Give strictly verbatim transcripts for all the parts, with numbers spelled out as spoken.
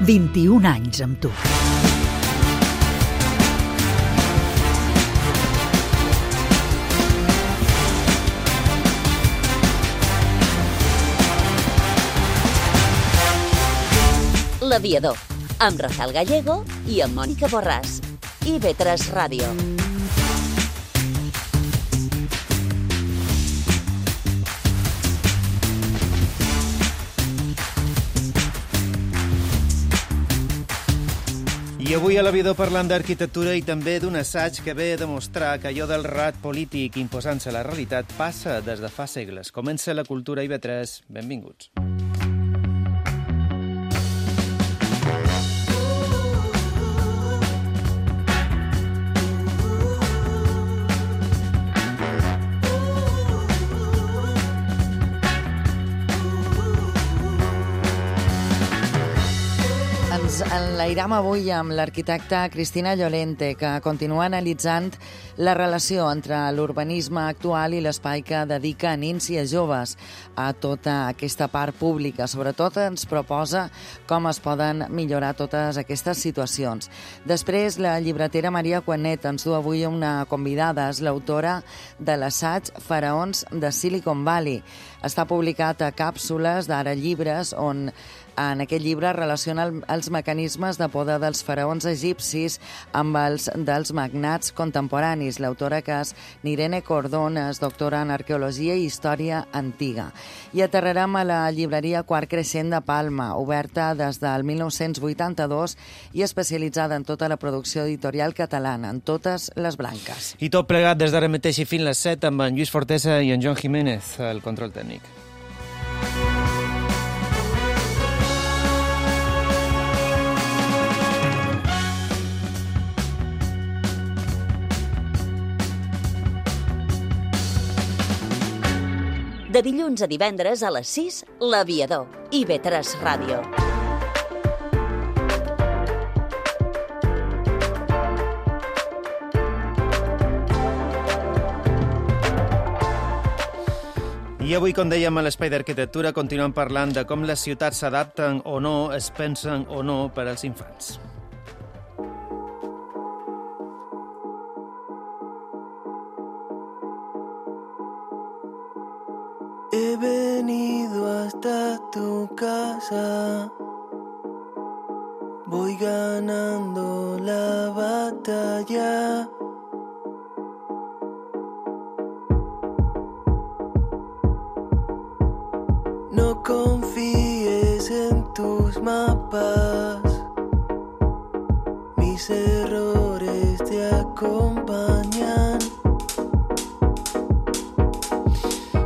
vint-i-un anys amb tu. L'Aviador, amb Rafael Gallego i amb Mònica Borràs. i ve tres Ràdio. I avui a l'Aviador parlant d'arquitectura i també d'un assaig que ve a demostrar que allò del rat polític imposant-se a la realitat passa des de fa segles. Comença la cultura i ve tres. Benvinguts. Ens enlairam avui amb l'arquitecta Cristina Llorente, que continua analitzant la relació entre l'urbanisme actual i l'espai que dedica a nins i a joves a tota aquesta part pública. Sobretot ens proposa com es poden millorar totes aquestes situacions. Després, la llibretera Maria Cuanet ens du avui una convidada, és l'autora de l'assaig Faraons de Silicon Valley. Està publicat a Càpsules d'Ara Llibres, on en aquest llibre relaciona els mecanismes de poder dels faraons egipcis amb els dels magnats contemporanis. L'autora, que és Nirene Cordón, és doctora en Arqueologia i Història Antiga. I aterrarem a la llibreria Quart Creixent de Palma, oberta des del mil nou-cents vuitanta-dos i especialitzada en tota la producció editorial catalana, en totes les branques. I tot plegat des d'ara mateix i fins les set amb en Lluís Fortesa i en Joan Jiménez, el control tècnic. De dilluns a divendres a les sis, l'Aviador, i ve tres Ràdio. I avui, com dèiem, a l'Espai d'Arquitectura continuem parlant de com les ciutats s'adapten o no, es pensen o no per als infants. He venido hasta tu casa, voy ganando la batalla. No confíes en tus mapas, mis errores te acompañan.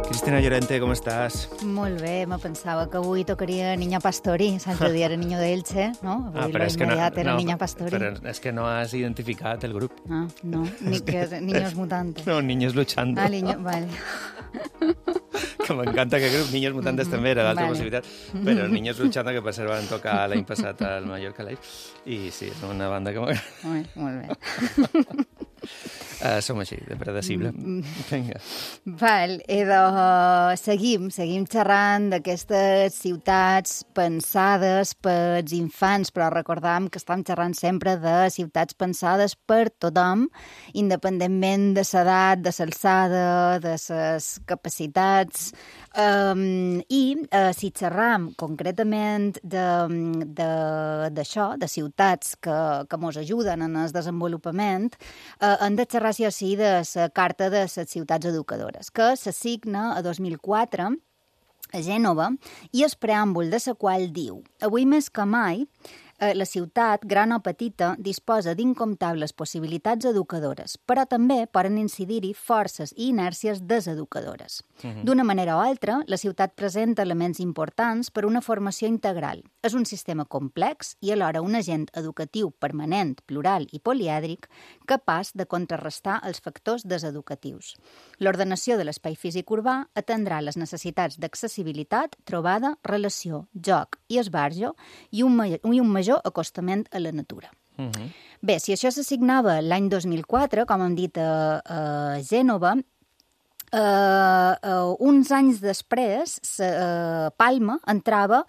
Cristina Llorente, com estàs? Molt bé, me pensava que avui tocaria Niña Pastori, l'altre dia era Niño de Elche, no? Avui Ah, però lo és que no, immediat era no, Niña Pastori. però és que no has identificat el grup. Ah, no, ni que Niños Mutantes. No, Niños Luchando. Ah, niño, vale. Que m'encanta que el grup Niños Mutantes també era l'altra vale. possibilitat, però Niños Luchando, que per cert van tocar l'any passat al Mallorca Live, i sí, és una banda que m'agrada. Molt bé, molt bé. Uh, som així, de predecible. Vinga. Val, idò, seguim, seguim xerrant d'aquestes ciutats pensades pels infants, però recordam que estem xerrant sempre de ciutats pensades per tothom, independentment de l'edat, de l'alçada, de les capacitats. Um, I uh, si xerram concretament d'això, de, de, de ciutats que, que mos ajuden en el desenvolupament, uh, hem de xerrar sí o sí de la Carta de les Ciutats Educadores, que s'assigna a dos mil quatre a Gènova i el preàmbul de la qual diu: avui més que mai, la ciutat, gran o petita, disposa d'incomptables possibilitats educadores, però també poden incidir-hi forces i inèrcies deseducadores. Uh-huh. D'una manera o altra, la ciutat presenta elements importants per una formació integral. És un sistema complex i alhora un agent educatiu permanent, plural i polièdric, capaç de contrarrestar els factors deseducatius. L'ordenació de l'espai físic urbà atendrà les necessitats d'accessibilitat, trobada, relació, joc i esbarjo i un, ma- i un major acostament a la natura. Uh-huh. Bé, si això s'assignava l'any dos mil quatre, com hem dit a, a Gènova, Uh, uh, uns anys després, uh, Palma entrava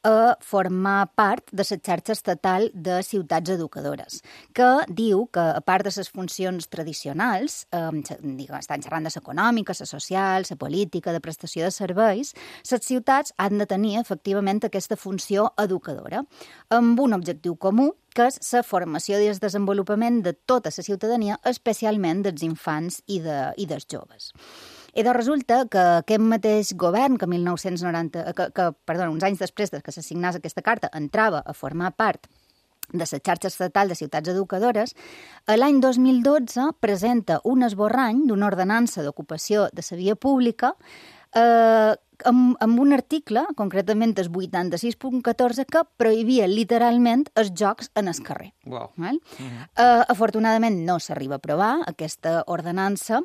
a formar part de la xarxa estatal de ciutats educadores, que diu que, a part de les funcions tradicionals, eh, diguem, estan xerrant de l'econòmica, la social, la política, de prestació de serveis, les ciutats han de tenir, efectivament, aquesta funció educadora, amb un objectiu comú, que és la formació i el desenvolupament de tota la ciutadania, especialment dels infants i, de, i dels joves. I doncs resulta que aquest mateix govern, que, mil nou-cents noranta, que, que perdona, uns anys després que s'assignés aquesta carta, entrava a formar part de la xarxa estatal de ciutats educadores, l'any dos mil dotze presenta un esborrany d'una ordenança d'ocupació de la via pública eh, amb, amb un article, concretament el vuitanta-sis punt catorze, que prohibia literalment els jocs en el carrer. Wow. Val? Uh-huh. eh, afortunadament no s'arriba a aprovar aquesta ordenança,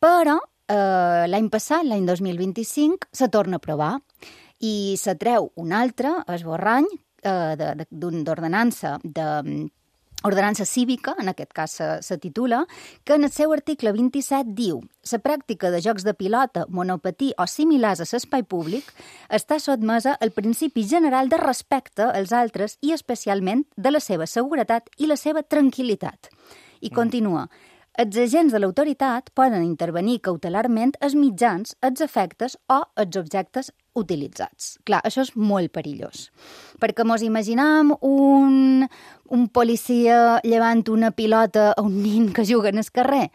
però Uh, l'any passat, l'any dos mil vint-i-cinc, se torna a aprovar i se treu un altre esborrany uh, d'ordenança de, de, ordenança cívica, en aquest cas se, se titula, que en el seu article vint-i-set diu: la pràctica de jocs de pilota, monopatí o similars a l'espai públic està sotmesa al principi general de respecte als altres i especialment de la seva seguretat i la seva tranquil·litat. I continua: els agents de l'autoritat poden intervenir cautelarment els mitjans, els efectes o els objectes utilitzats. Clar, això és molt perillós, perquè mos imaginam un, un policia llevant una pilota a un nin que juga en el carrer.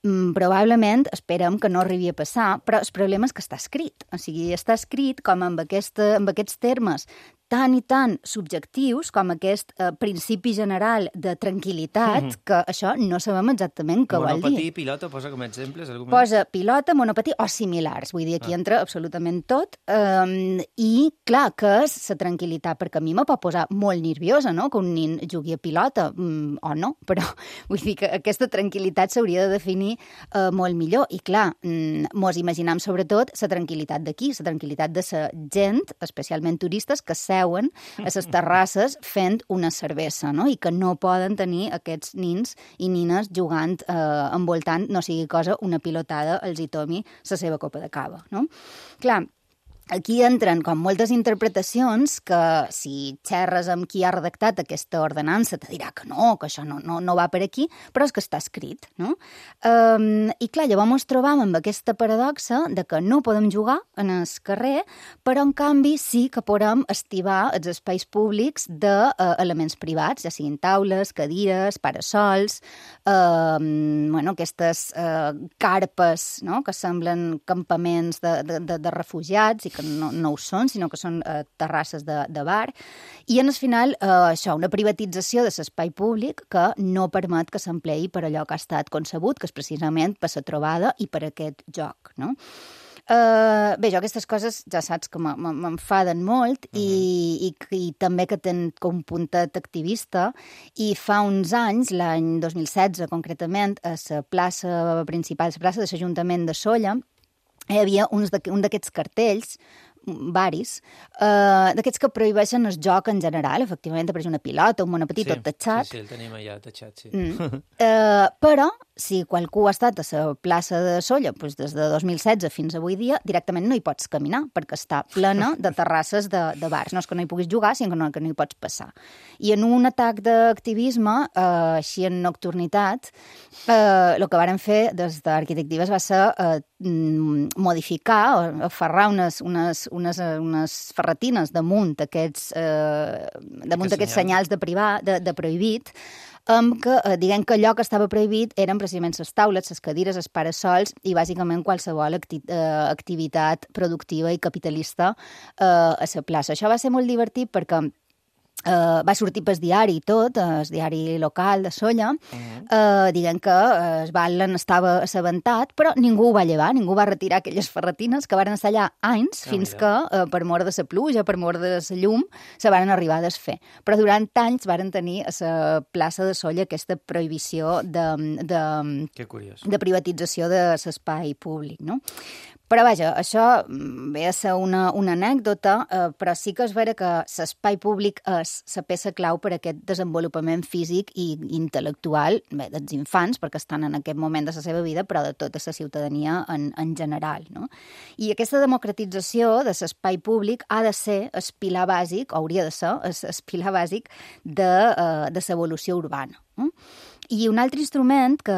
Mm, probablement esperem que no arribi a passar, però el problema és que està escrit. O sigui, està escrit com amb, aquesta, amb aquests termes tan i tan subjectius com aquest eh, principi general de tranquil·litat, mm-hmm. que això no sabem exactament què vol dir. Monopatí, pilota, posa com a exemples? Algun Posa pilota, monopatí o similars. Vull dir, aquí ah. entra absolutament tot. Um, I, clar, que és la tranquil·litat? Perquè a mi me pot posar molt nerviosa, no?, que un nin jugui a pilota, um, o no, però vull dir que aquesta tranquil·litat s'hauria de definir uh, molt millor. I, clar, um, mos imaginam sobretot la tranquil·litat d'aquí, la tranquil·litat de la gent, especialment turistes, que seuen a les terrasses fent una cervesa, no?, i que no poden tenir aquests nins i nines jugant, eh, envoltant, no sigui cosa, una pilotada, els hi tomi la seva copa de cava, no? Clar, aquí entren com moltes interpretacions que si xerres amb qui ha redactat aquesta ordenança te dirà que no, que això no, no, no va per aquí, però és que està escrit, no? Um, I clar, llavors ens trobam amb aquesta paradoxa de que no podem jugar en el carrer, però en canvi sí que podem estivar els espais públics d'elements uh, privats, ja siguin taules, cadires, parasols, uh, bueno, aquestes uh, carpes, no?, que semblen campaments de, de, de, de refugiats i que no, no ho són, sinó que són eh, terrasses de, de bar. I, en el final, eh, això, una privatització de l'espai públic que no permet que s'empleï per allò que ha estat concebut, que és precisament per la trobada i per aquest joc, no? Uh, bé, jo aquestes coses ja saps que m'enfaden molt uh-huh. i, i, i també que tenen com un puntet activista, i fa uns anys, l'any dos mil setze concretament, a la plaça principal, a la plaça de l'Ajuntament de Sóller, hi havia uns un d'aquests cartells, varis, uh, d'aquests que prohibeixen el joc en general, efectivament, apareix una pilota, un monopatí, sí, tot tatxat. Sí, sí, el tenim allà tatxat, sí. Mm. Uh, però, si qualcú ha estat a la plaça de Sóller doncs des de dos mil setze fins avui dia, directament no hi pots caminar, perquè està plena de terrasses de, de bars. No és que no hi puguis jugar, sinó que no, que no hi pots passar. I en un atac d'activisme, uh, així en nocturnitat, uh, el que varen fer des d'Arquitectives va ser uh, modificar, o aferrar unes, unes, unes, unes ferretines damunt d'aquests eh, damunt d'aquests senyals de, privar, de, de prohibit, amb que, eh, diguem que allò que estava prohibit eren precisament les taules, les cadires, els parasols i bàsicament qualsevol acti eh, activitat productiva i capitalista eh, a la plaça. Això va ser molt divertit perquè Uh, va sortir pel diari i tot, el diari local de Sóller, uh-huh. uh, dient que uh, el Batlen estava assabentat, però ningú ho va llevar, ningú va retirar aquelles ferretines que van estar allà anys, oh, fins mira. que, uh, per mort de la pluja, per mort de la llum, se van arribar a desfer. Però durant anys varen tenir a la plaça de Sóller aquesta prohibició de, de, que curiós. de privatització de l'espai públic, no? Però, vaja, això ve a ser una, una anècdota, eh, però sí que és vera que l'espai públic és la peça clau per a aquest desenvolupament físic i intel·lectual, bé, dels infants, perquè estan en aquest moment de la seva vida, però de tota la ciutadania en, en general, no? I aquesta democratització de l'espai públic ha de ser el pilar bàsic, hauria de ser el pilar bàsic de, uh, de l'evolució urbana. No? I un altre instrument que,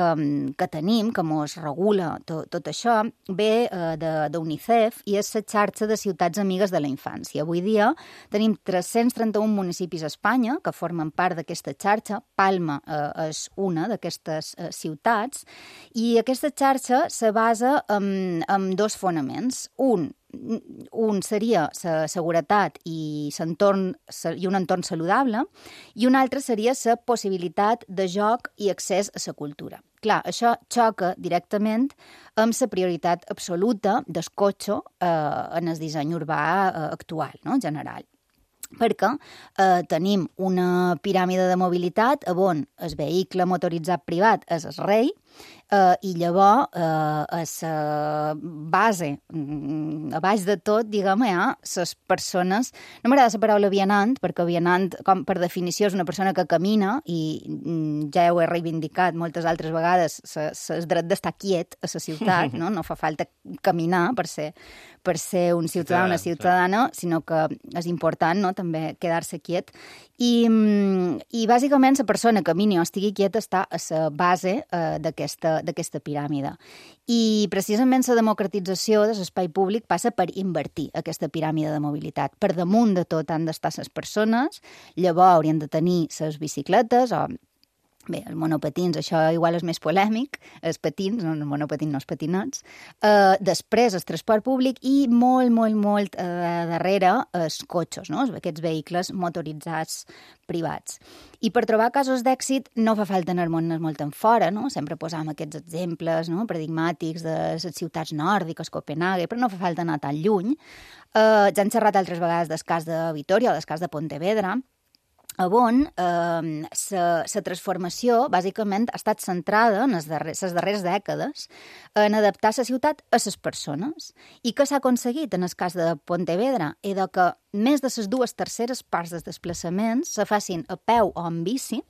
que tenim, que mos regula tot, tot això, ve uh, d'UNICEF i és la xarxa de ciutats amigues de la infància. Avui dia tenim tres-cents trenta-un municipis a Espanya que formen part d'aquesta xarxa. Palma uh, és una d'aquestes uh, ciutats i aquesta xarxa se basa en, en dos fonaments. Un, un seria la seguretat i, entorn, i un entorn saludable, i un altre seria la possibilitat de joc i accés a la cultura. Clar, això xoca directament amb la prioritat absoluta del cotxe eh, en el disseny urbà eh, actual, no?, general. Perquè eh, tenim una piràmide de mobilitat on el vehicle motoritzat privat és el rei eh, i llavors eh, a la base, a baix de tot, diguem, hi ha les persones... No m'agrada la paraula vianant, perquè vianant, com per definició, és una persona que camina i ja ho he reivindicat moltes altres vegades, el dret d'estar quiet a la ciutat, no? No fa falta caminar per ser, per ser un ciutadà o una ciutadana, sinó que és important, no?, també quedar-se quiet. I, i bàsicament la persona que camini o estigui quieta està a la base eh, d'aquesta, d'aquesta piràmide. I precisament la democratització de l'espai públic passa per invertir aquesta piràmide de mobilitat. Per damunt de tot han d'estar les persones, llavors haurien de tenir les bicicletes o... Bé, els monopatins, això igual és més polèmic, els patins, no, els monopatins, no els patinets. Uh, després, el transport públic i molt, molt, molt uh, darrere els cotxes, no?, aquests vehicles motoritzats privats. I per trobar casos d'èxit no fa falta anar-me'n molt en fora, no? Sempre posam aquests exemples, no?, paradigmàtics de les ciutats nòrdiques, Copenhague, però no fa falta anar tan lluny. Uh, ja hem xerrat altres vegades del cas de Vitoria o del cas de Pontevedra, on la eh, transformació bàsicament ha estat centrada en les darreres, les darreres dècades en adaptar la ciutat a les persones. I què s'ha aconseguit en el cas de Pontevedra? És que més de les dues terceres parts dels desplaçaments se facin a peu o en bici,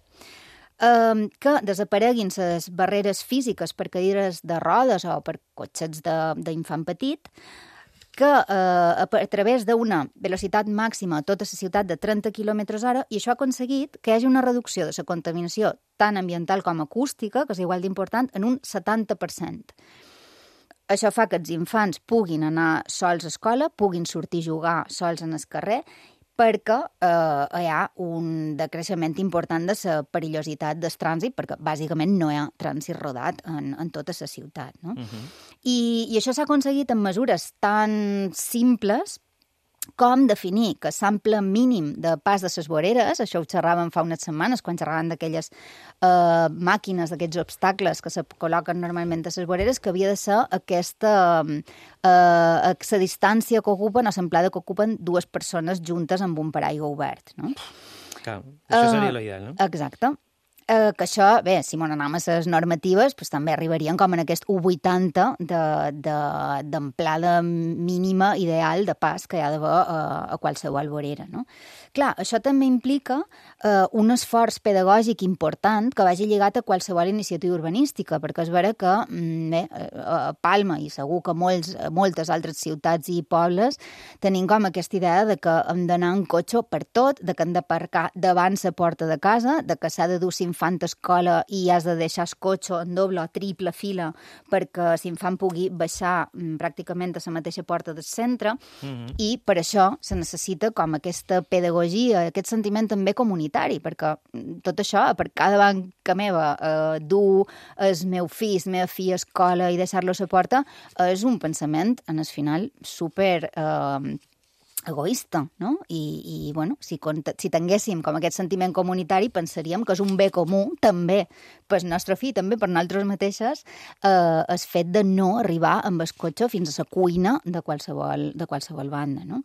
eh, que desapareguin les barreres físiques per cadires de rodes o per cotxets d'infant petit, que eh, a, a través d'una velocitat màxima a tota la ciutat de trenta quilòmetres hora, i això ha aconseguit que hi hagi una reducció de la contaminació tant ambiental com acústica, que és igual d'important, en un setanta per cent. Això fa que els infants puguin anar sols a escola, puguin sortir a jugar sols en el carrer, perquè eh, hi ha un decreixement important de la perillositat del trànsit, perquè bàsicament no hi ha trànsit rodat en, en tota la ciutat, no? Uh-huh. I, I això s'ha aconseguit amb mesures tan simples com definir que l'ample mínim de pas de les voreres, això ho xerràvem fa unes setmanes, quan xerràvem d'aquelles eh, màquines, d'aquests obstacles que se col·loquen normalment a les voreres, que havia de ser aquesta eh, la distància que ocupen o l'amplada que ocupen dues persones juntes amb un paraigua obert, no? Clar, això seria uh, l'ideal, no? Exacte. Eh, que això, bé, si m'ho anem a les normatives, pues, també arribarien com en aquest u vuitanta d'amplada de, de, mínima ideal de pas que hi ha d'haver eh, a qualsevol vorera, no? Clar, això també implica eh, un esforç pedagògic important que vagi lligat a qualsevol iniciativa urbanística, perquè és vera que bé, a Palma i segur que molts, moltes altres ciutats i pobles tenim com aquesta idea de que hem d'anar en cotxe per tot, de que hem d'aparcar davant la porta de casa, de que s'ha de dur l'infant a escola i has de deixar el cotxe en doble o triple fila perquè l'infant pugui baixar mm, pràcticament a la mateixa porta del centre, mm-hmm. i per això se necessita com aquesta pedagogia, aquest sentiment també comunitari, perquè tot això, per cada banca meva, eh, dur el meu fill, la meva filla a escola i deixar-lo a la porta, és un pensament, en el final, super... Eh, egoista, no? I, i bueno, si, si tinguéssim com aquest sentiment comunitari, pensaríem que és un bé comú, també pel nostre fill, també per nosaltres mateixes, eh, el fet de no arribar amb el cotxe fins a la cuina de qualsevol, de qualsevol banda, no?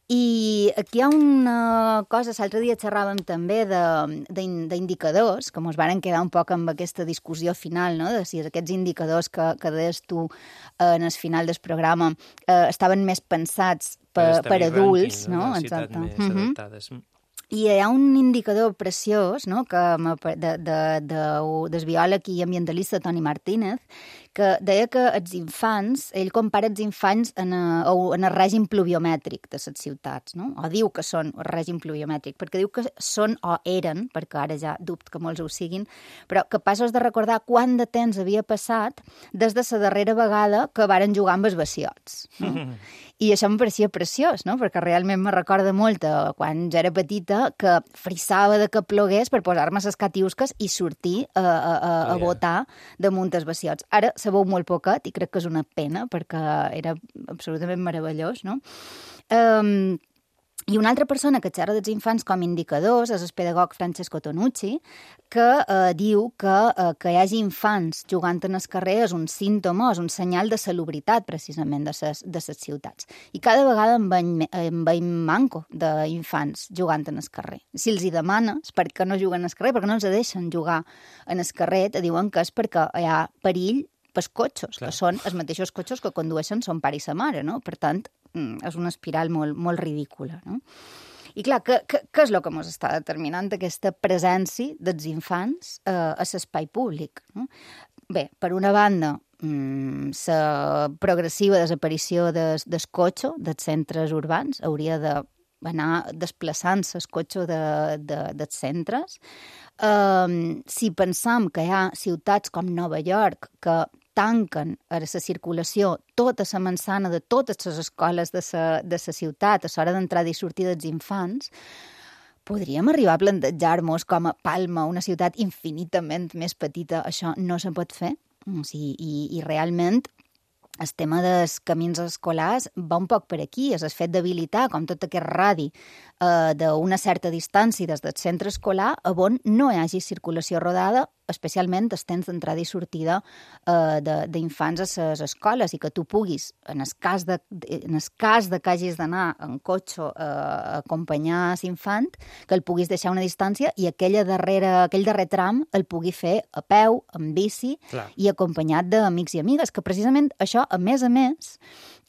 I aquí hi ha una cosa, l'altre dia xerràvem també d'indicadors, que ens varen quedar un poc amb aquesta discussió final, no? De si aquests indicadors que, que deies tu en el final del programa eh, estaven més pensats per, per adults, ranking, no? no? Exacte. Més uh-huh. adaptades. I hi ha un indicador preciós, no?, que de, de, de, del biòleg i ambientalista Toni Martínez, que deia que els infants, ell compara els infants en, a, en el règim pluviomètric de les ciutats, no? O diu que són el règim pluviomètric, perquè diu que són o eren, perquè ara ja dubto que molts ho siguin, però capaços de recordar quant de temps havia passat des de la darrera vegada que varen jugar amb els bassiots, no? I això em pareixia preciós, no? Perquè realment me recorda molt a quan jo era petita que frissava de que plogués per posar-me les catiusques i sortir a, a, a, a Oh, ja. botar damunt els bassiots. Ara se veu molt poquet i crec que és una pena perquè era absolutament meravellós, no? Um, I una altra persona que xerra dels infants com indicadors és el pedagog Francesco Tonucci, que eh, diu que eh, que hi hagi infants jugant en el carrer és un símptoma, és un senyal de salubritat, precisament, de ses, de ses ciutats. I cada vegada en veiem, en veiem manco d'infants jugant en el carrer. Si els hi demanes per què no juguen al carrer, perquè no els deixen jugar en el carrer, te diuen que és perquè hi ha perill pels cotxes, Clar. Que són els mateixos cotxes que condueixen son pare i sa mare, no? Per tant, és una espiral molt, molt ridícula, no? I clar, què, què, què és el que ens està determinant aquesta presència dels infants eh, a l'espai públic, no? Bé, per una banda, la progressiva desaparició des, del cotxe, dels centres urbans, hauria d'anar desplaçant-se el cotxe de, de, dels centres. Um, si pensam que hi ha ciutats com Nova York que tanquen a la circulació tota la manzana de totes les escoles de la de la ciutat a l'hora d'entrada i sortir dels infants, podríem arribar a plantejar-nos com a Palma, una ciutat infinitament més petita. Això no se pot fer. O sigui, i, i realment el tema dels camins escolars va un poc per aquí, és el fet d'habilitar com tot aquest radi eh, d'una certa distància des del centre escolar on no hi hagi circulació rodada, especialment el temps d'entrada i sortida eh, d'infants a les escoles, i que tu puguis, en el cas de, en el cas de que hagis d'anar en cotxe eh, a acompanyar l'infant, que el puguis deixar una distància i aquella darrera, aquell darrer tram el pugui fer a peu, en bici, Clar. I acompanyat d'amics i amigues, que precisament això, a més a més,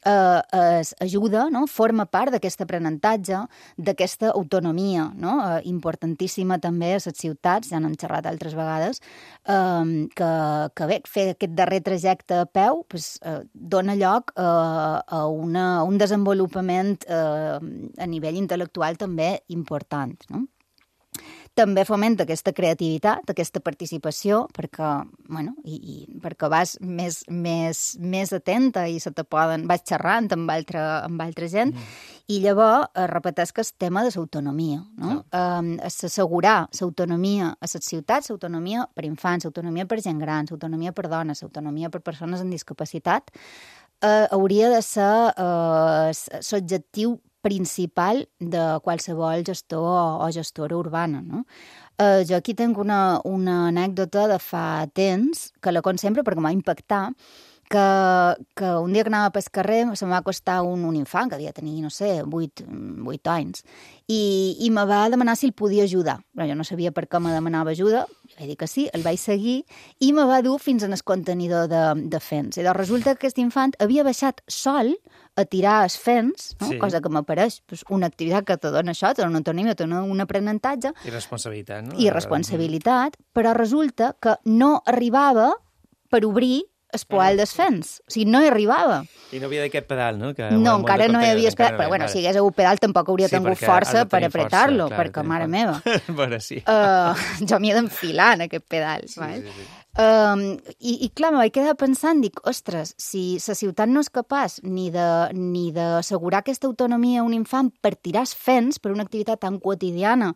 eh, es ajuda, no? Forma part d'aquest aprenentatge, d'aquesta autonomia, no? Eh, importantíssima també a les ciutats, ja n'hem xerrat altres vegades, eh, que, que bé, fer aquest darrer trajecte a peu pues, eh, dona lloc eh, a, una, a un desenvolupament eh, a nivell intel·lectual també important, no? També fomenta aquesta creativitat, aquesta participació, perquè, bueno, i, i perquè vas més, més, més atenta i se te poden, vas xerrant amb altra, amb altra gent, mm. i llavors es repeteix que és tema de l'autonomia, no? Um, assegurar l'autonomia a les ciutats, l'autonomia per infants, l'autonomia per gent gran, l'autonomia per dones, l'autonomia per persones amb discapacitat, uh, hauria de ser uh, l'objectiu principal de qualsevol gestor o, o gestora urbana, no? Uh, jo aquí tinc una, una anècdota de fa temps, que la conto sempre perquè m'ha impactat, que, que un dia que anava pel carrer se'm va acostar un, un infant que devia tenir, no sé, vuit, vuit anys, i, i me va demanar si el podia ajudar. Però jo no sabia per què me demanava ajuda, vaig dir que sí, el vaig seguir, i me va dur fins en el contenidor de, de fens. I doncs resulta que aquest infant havia baixat sol a tirar els fens, no? Sí. Cosa que m'apareix pues, una activitat que te dona això, te dona una autonomia, te dona un aprenentatge. I responsabilitat, no? I responsabilitat, però resulta que no arribava per obrir el poal dels fens. O sigui, no hi arribava. I no havia d'aquest pedal, no? Que no, encara no hi havia pedal, però bueno, si hagués hagut pedal tampoc hauria sí, tingut força per apretar-lo, força, perquè, mare meva. Bueno, sí. Uh, jo m'hi he d'enfilar en aquest pedal. Sí, val? sí, sí. Um, i, I clar, me vaig quedar pensant, dic, ostres, si la ciutat no és capaç ni de ni d'assegurar aquesta autonomia a un infant per tirar els fens, per una activitat tan quotidiana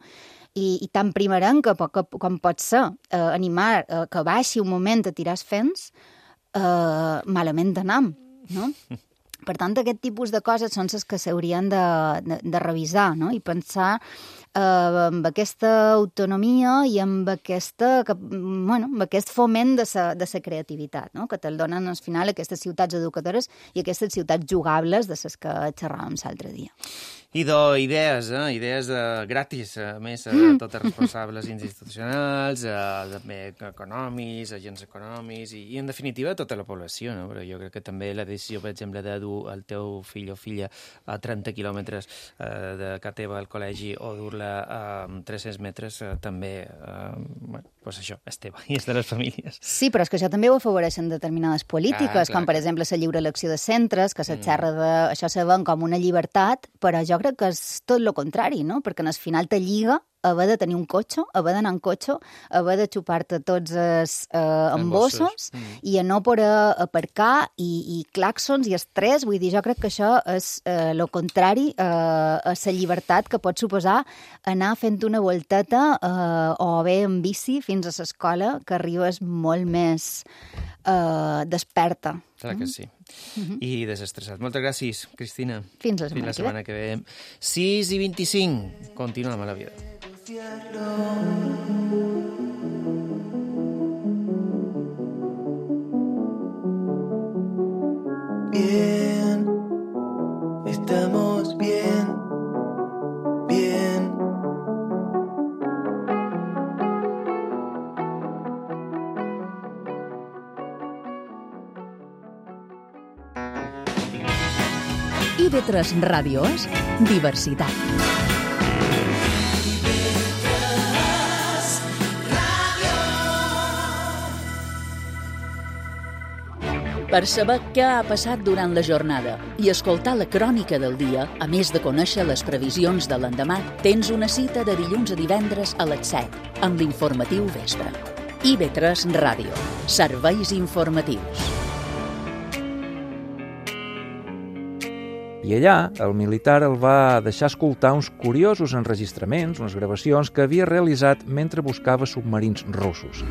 i, i tan primerenca que, com pot ser uh, animar uh, que baixi un moment a tirar els fens, Uh, malament d'anar, no? Per tant, aquest tipus de coses són les que s'haurien de, de, de revisar, no? I pensar uh, amb aquesta autonomia i amb, aquesta, que, bueno, amb aquest foment de sa, de sa creativitat, no? Que te'l donen al final aquestes ciutats educadores i aquestes ciutats jugables de les que xerràvem l'altre dia. d'idees, eh? idees eh, gratis, a més, eh, totes responsables institucionals, eh, també econòmics, agents econòmics, i, i en definitiva tota la població, no? Però jo crec que també la decisió, per exemple, de dur el teu fill o filla a trenta quilòmetres eh, de casa teva al col·legi o dur-la a tres-cents metres, eh, també, eh, bueno, doncs això, és teva i és de les famílies. Sí, però és que això també ho afavoreixen determinades polítiques, ah, clar, com per clar. exemple la lliure elecció de centres, que se xerra de... Això se ven com una llibertat, però jo crec que és tot el contrari, no? Perquè al final te lliga haver de tenir un cotxe, haver d'anar en cotxe, haver de xupar-te tots els eh, embossos mm. i a no poder aparcar i, i clàxons i estrès. Vull dir, jo crec que això és el eh, contrari eh, a la llibertat que pot suposar anar fent una volteta eh, o bé en bici fins a l'escola, que arribes molt més eh, desperta. Clar que sí. Mm-hmm. I desestressat. Moltes gràcies, Cristina. Fins la setmana, Fins la setmana que ve. sis i vint-i-cinc. Continuem a la vida. Bien, estamos bien, bien. I ve tres Ràdio és diversitat. Per saber què ha passat durant la jornada i escoltar la crònica del dia, a més de conèixer les previsions de l'endemà, tens una cita de dilluns a divendres a les set, amb l'informatiu vespre. I ve tres Ràdio. Serveis informatius. I allà, el militar el va deixar escoltar uns curiosos enregistraments, unes gravacions que havia realitzat mentre buscava submarins russos.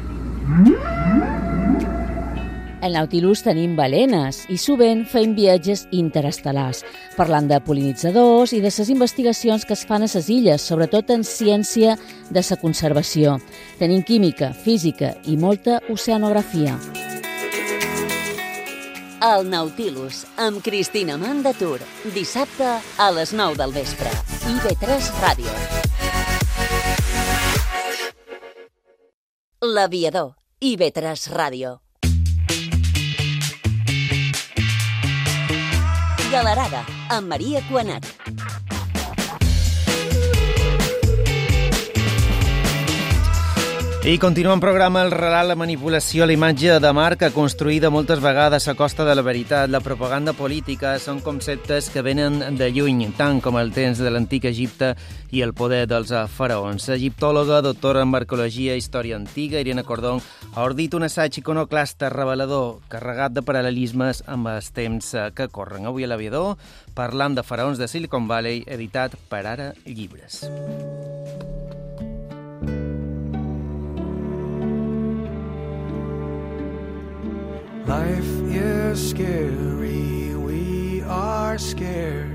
Al Nautilus tenim balenes i sovint fem viatges interestel·lars, parlant de pol·linitzadors i de les investigacions que es fan a les illes, sobretot en ciència de la conservació. Tenim química, física i molta oceanografia. El Nautilus, amb Cristina Mandatur, dissabte a les nou del vespre. I ve tres Ràdio. L'Aviador, I ve tres Ràdio. Galerada, amb Maria Cuanat. I continua en programa el relat, la manipulació, la imatge de marca construïda moltes vegades a costa de la veritat. La propaganda política són conceptes que venen de lluny, tant com el temps de l'antic Egipte i el poder dels faraons. Egiptòloga, doctora en arqueologia i història antiga, Irene Cordón, ha ordit un assaig iconoclasta revelador, carregat de paral·lelismes amb els temps que corren. Avui a l'Aviador, parlant de faraons de Silicon Valley, editat per Ara Llibres. Life is scary, we are scared.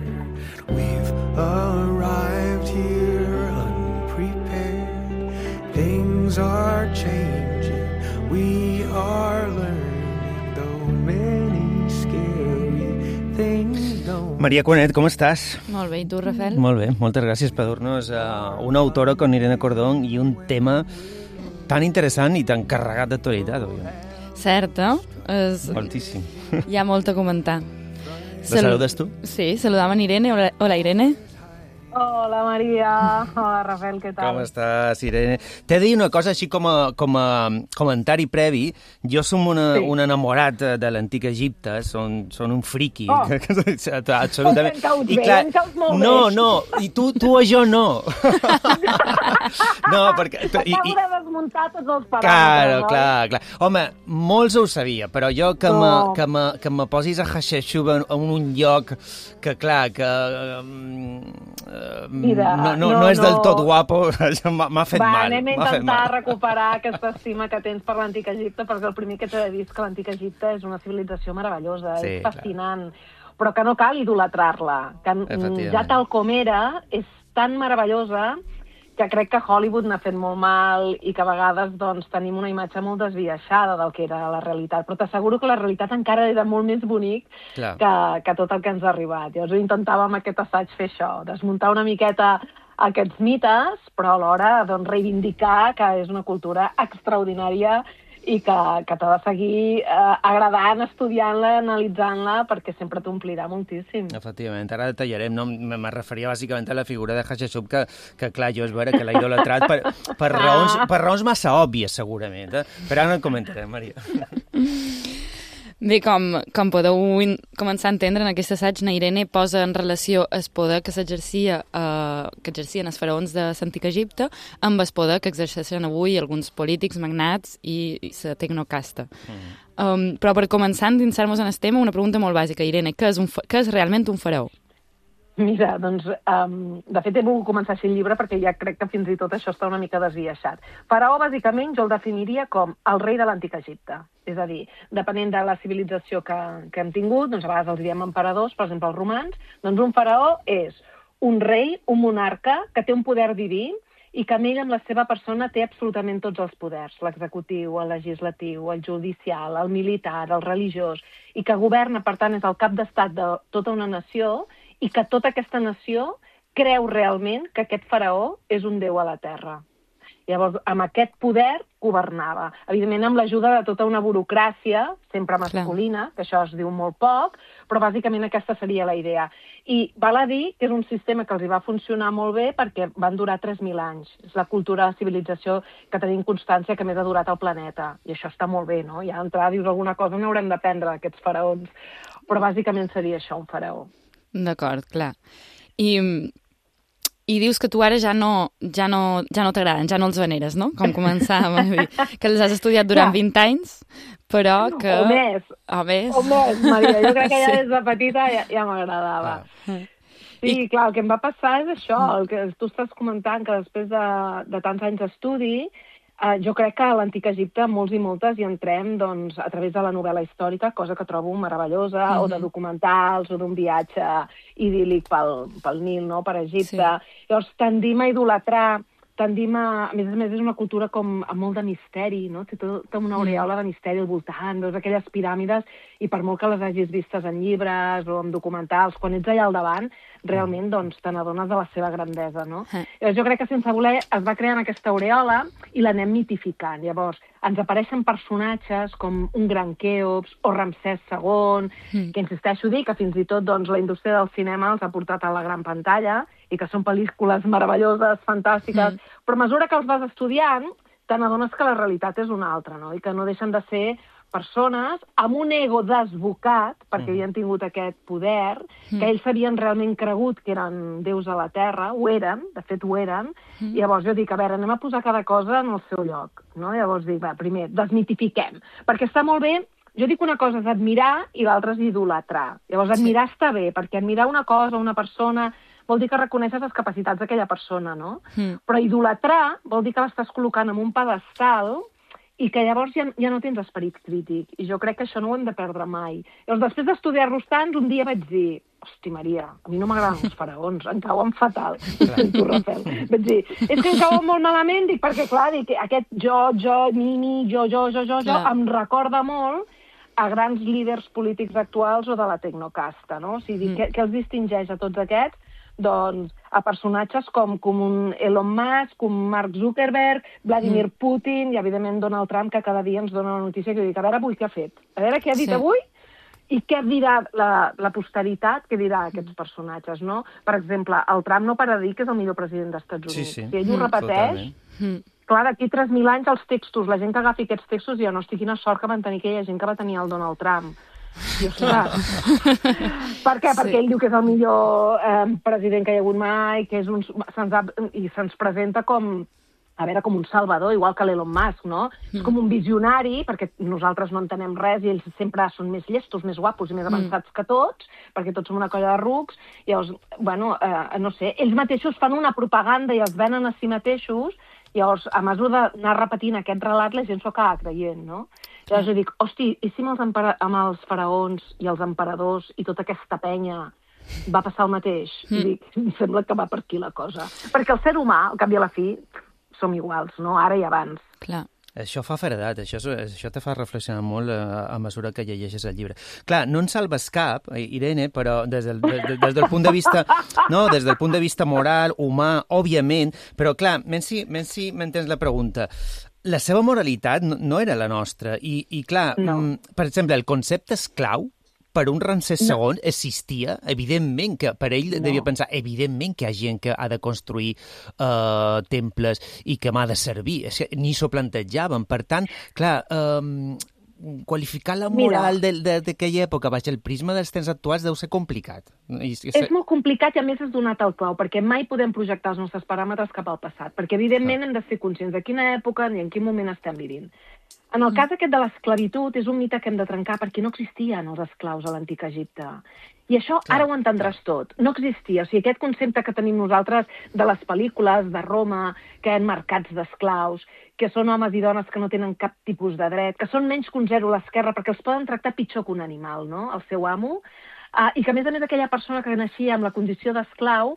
We've arrived here unprepared. Things are changing, we are learning, though many scary things don't... Maria Cuanet, com estàs? Molt bé, i tu, Rafael? Molt bé, moltes gràcies per dur-nos uh, una autora con Irene Cordón i un tema tan interessant i tan carregat d'actualitat, òbviament. Cert, eh? És... Moltíssim. Hi ha molt a comentar. La Salu... saludes tu? Sí, saludam en Irene. Hola, hola Irene. Hola, Maria. Hola, Rafael, què tal? Com estàs, Irene? T'he de dir una cosa així com a, com a comentari previ. Jo som una, sí. un enamorat de l'antic Egipte, són, són un friqui. Oh. Absolutament. En caus I bé, clar, en caus molt no, bé. no, i tu, tu a jo no. No, perquè... I, Acabo de desmuntar tots els paràmetres. Claro, no? clar, clar. Home, molts ho sabia, però jo que, No. me, que, me, que me posis a Hatshepsut en un lloc que, clar, que... Mira, no, no, no, no és del no. tot guapo, això m'ha m'ha fet Va, mal. anem a m'ha fet intentar mal. recuperar aquesta estima que tens per l'antic Egipte, perquè el primer que t'he de dir és que l'antic Egipte és una civilització meravellosa, Sí, és fascinant, però que no cal idolatrar-la, que mm, Efectivament. ja tal com era, és tan meravellosa que crec que Hollywood n'ha fet molt mal i que a vegades doncs, tenim una imatge molt desviaixada del que era la realitat. Però t'asseguro que la realitat encara era molt més bonic que, que tot el que ens ha arribat. Llavors intentàvem amb aquest assaig fer això, desmuntar una miqueta aquests mites, però alhora doncs, reivindicar que és una cultura extraordinària i que, que t'ha de seguir eh, agradant, estudiant-la, analitzant-la, perquè sempre t'omplirà moltíssim. Efectivament, ara detallarem, no? Me referia bàsicament a la figura de Hatshepsut, que, que clar, jo és vera que l'he idolatrat per, per, raons, per raons massa òbvies, segurament, eh? Però ara no en comentarem, Maria. Bé, com, com podeu començar a entendre, en aquest assaig, na Irene posa en relació el poder que s'exercia, eh, que exercien els faraons de l'antic Egipte amb el poder que exerceixen avui alguns polítics, magnats i, i la tecnocasta. Mm. Um, però per començar a endinsar-nos en el tema, una pregunta molt bàsica, Irene, què és, un, què és realment un faraó? Mira, doncs, um, de fet he volgut començar així el llibre perquè ja crec que fins i tot això està una mica desviaixat. Faraó, bàsicament, jo el definiria com el rei de l'antic Egipte. És a dir, depenent de la civilització que, que hem tingut, doncs a vegades els diem emperadors, per exemple els romans, doncs un faraó és un rei, un monarca, que té un poder diví i que amb ell, amb la seva persona, té absolutament tots els poders, l'executiu, el legislatiu, el judicial, el militar, el religiós, i que governa, per tant, és el cap d'estat de tota una nació i que tota aquesta nació creu realment que aquest faraó és un déu a la terra. Llavors, amb aquest poder governava. Evidentment, amb l'ajuda de tota una burocràcia, sempre masculina, que això es diu molt poc, però bàsicament aquesta seria la idea. I val a dir que és un sistema que els hi va funcionar molt bé perquè van durar tres mil anys. És la cultura, la civilització que tenim constància que més ha durat al planeta. I això està molt bé, no? Ja d'entrada dius alguna cosa, n'haurem d'aprendre d'aquests faraons. Però bàsicament seria això, un faraó. D'acord, clar. I... I dius que tu ara ja no, ja no, ja no t'agraden, ja no els veneres, no? Com començàvem a dir, que els has estudiat durant vint anys, però que... O més. O més. O més, Maria. Jo crec que ja des de petita ja, ja m'agradava. Ah. Sí, I... clar, el que em va passar és això, el que tu estàs comentant, que després de, de tants anys d'estudi, Uh, jo crec que a l'antic Egipte molts i moltes hi entrem doncs, a través de la novel·la històrica, cosa que trobo meravellosa, mm-hmm. o de documentals, o d'un viatge idíl·lic pel, pel Nil, no?, per Egipte. Sí. Llavors tendim a idolatrar, tendim a... A més a més, és una cultura com amb molt de misteri, no? Té tota una aureola de misteri al voltant, veus aquelles piràmides, i per molt que les hagis vistes en llibres o en documentals, quan ets allà al davant, realment doncs, te n'adones de la seva grandesa, no? Eh. Llavors, jo crec que sense voler es va creant aquesta aureola i l'anem mitificant. Llavors, ens apareixen personatges com un gran Quèops o Ramsès segon, mm. que insisteixo a dir que fins i tot doncs, la indústria del cinema els ha portat a la gran pantalla i que són pel·lícules meravelloses, fantàstiques, mm. però a mesura que els vas estudiant, te n'adones que la realitat és una altra, no? I que no deixen de ser persones amb un ego desbocat, perquè mm. havien tingut aquest poder, mm. que ells s'havien realment cregut que eren déus a la Terra, ho eren, de fet ho eren, mm. i llavors jo dic, a veure, anem a posar cada cosa en el seu lloc, no? Llavors dic, va, primer, desmitifiquem, perquè està molt bé, jo dic una cosa és admirar i l'altra és idolatrar. Llavors admirar sí. està bé, perquè admirar una cosa, una persona, vol dir que reconeixes les capacitats d'aquella persona, no? Mm. Però idolatrar vol dir que l'estàs col·locant en un pedestal i que llavors ja, ja no tens esperit crític. I jo crec que això no ho hem de perdre mai. Llavors, després d'estudiar-los tants, un dia vaig dir, hosti, Maria, a mi no m'agraden els faraons, em cauen fatal. Tu, Rafael. Vaig dir, és que em cauen molt malament, dic, perquè, clar, dic, aquest jo, jo, mi, mi, jo, jo, jo, jo, jo, em recorda molt a grans líders polítics actuals o de la tecnocasta, no? O sigui, mm. què, què els distingeix a tots aquests? Doncs a personatges com, com un Elon Musk, com Mark Zuckerberg, Vladimir mm. Putin i, evidentment, Donald Trump, que cada dia ens dona la notícia que dic, a veure avui què ha fet, a veure què ha dit sí. avui i què dirà la, la posteritat, què dirà aquests personatges, no? Per exemple, el Trump no para de dir que és el millor president dels Estats Units. Sí, sí. Si ell ho repeteix, mm. clar, d'aquí tres mil anys els textos, la gent que agafi aquests textos, ja no estic quina sort que van tenir aquella gent que va tenir el Donald Trump. I, ostres, per què? Sí. Perquè ell diu que és el millor eh, president que hi ha hagut mai, que és un, se'ns ha, i se'ns presenta com, a veure, com un salvador, igual que l'Elon Musk, no? Mm. És com un visionari, perquè nosaltres no entenem res i ells sempre són més llestos, més guapos i més avançats mm. que tots, perquè tots som una colla de rucs, i llavors, bueno, eh, no sé, ells mateixos fan una propaganda i els venen a si mateixos, i llavors, a mesura d'anar repetint aquest relat, la gent s'ho acaba creient, no? Llavors jo dic, hosti, i si amb els, amb els faraons i els emperadors i tota aquesta penya va passar el mateix. Mm. Dic, em sembla que va per aquí la cosa. Perquè el ser humà, al cap i a la fi, som iguals, no? Ara i abans. Clar. Això fa feredat, això, això te fa reflexionar molt a, a mesura que llegeixes el llibre. Clar, no en salves cap, Irene, però des del, des, des del punt de vista no, des del punt de vista moral, humà, òbviament, però clar, menys si, menys si m'entens la pregunta, la seva moralitat no, no era la nostra, i, i clar, no. per exemple, el concepte esclau, per un Ramsès segon no. existia, evidentment que per ell no. devia pensar, evidentment que hi ha gent que ha de construir uh, temples i que m'ha de servir, és que ni s'ho plantejaven. Per tant, clar, um, qualificar la moral d'aquella època baix el prisma dels temps actuals deu ser complicat. I, i... És molt complicat i a més has donat el clau, perquè mai podem projectar els nostres paràmetres cap al passat, perquè evidentment ah. hem de ser conscients de quina època i en quin moment estem vivint. En el cas aquest de l'esclavitud és un mite que hem de trencar perquè no existien els esclaus a l'antic Egipte. I això clar, ara ho entendràs clar. tot. No existia. O sigui, aquest concepte que tenim nosaltres de les pel·lícules de Roma, que hi ha mercats d'esclaus, que són homes i dones que no tenen cap tipus de dret, que són menys que un zero a l'esquerra perquè els poden tractar pitjor que un animal, no?, el seu amo, Uh, i que, a més a més, aquella persona que naixia amb la condició d'esclau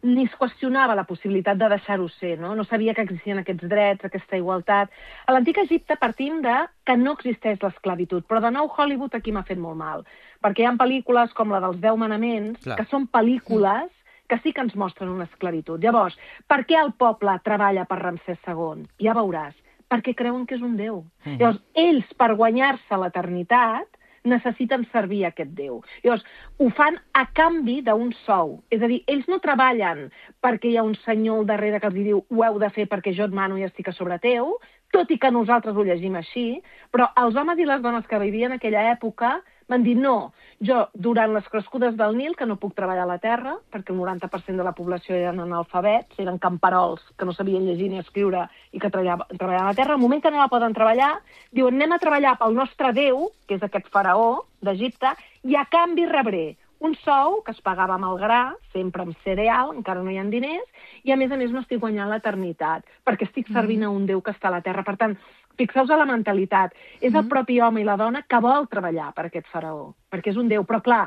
ni es qüestionava la possibilitat de deixar-ho ser, no? No sabia que existien aquests drets, aquesta igualtat. A l'antic Egipte partim de que no existeix l'esclavitud, però de nou Hollywood aquí m'ha fet molt mal, perquè hi ha pel·lícules com la dels Deu Manaments, Clar. que són pel·lícules que sí que ens mostren una esclavitud. Llavors, per què el poble treballa per Ramsès segon? Ja veuràs, perquè creuen que és un déu. Mm. Llavors, ells, per guanyar-se l'eternitat, necessiten servir aquest Déu. Llavors, ho fan a canvi d'un sou. És a dir, ells no treballen perquè hi ha un senyor al darrere que els diu ho heu de fer perquè jo et mano i estic a sobre teu, tot i que nosaltres ho llegim així, però els homes i les dones que vivien en aquella època van dir no, jo durant les crescudes del Nil, que no puc treballar a la terra, perquè el noranta per cent de la població eren analfabets, eren camperols que no sabien llegir ni escriure i que treballaven a la terra, al moment que no la poden treballar, diuen anem a treballar pel nostre Déu, que és aquest faraó d'Egipte, i a canvi rebré un sou que es pagava amb el gra, sempre amb cereal, encara no hi ha diners, i a més a més no estic guanyant l'eternitat, perquè estic servint a un Déu que està a la terra. Per tant, fixeu-vos a la mentalitat. És el propi home i la dona que vol treballar per aquest faraó, perquè és un déu. Però, clar,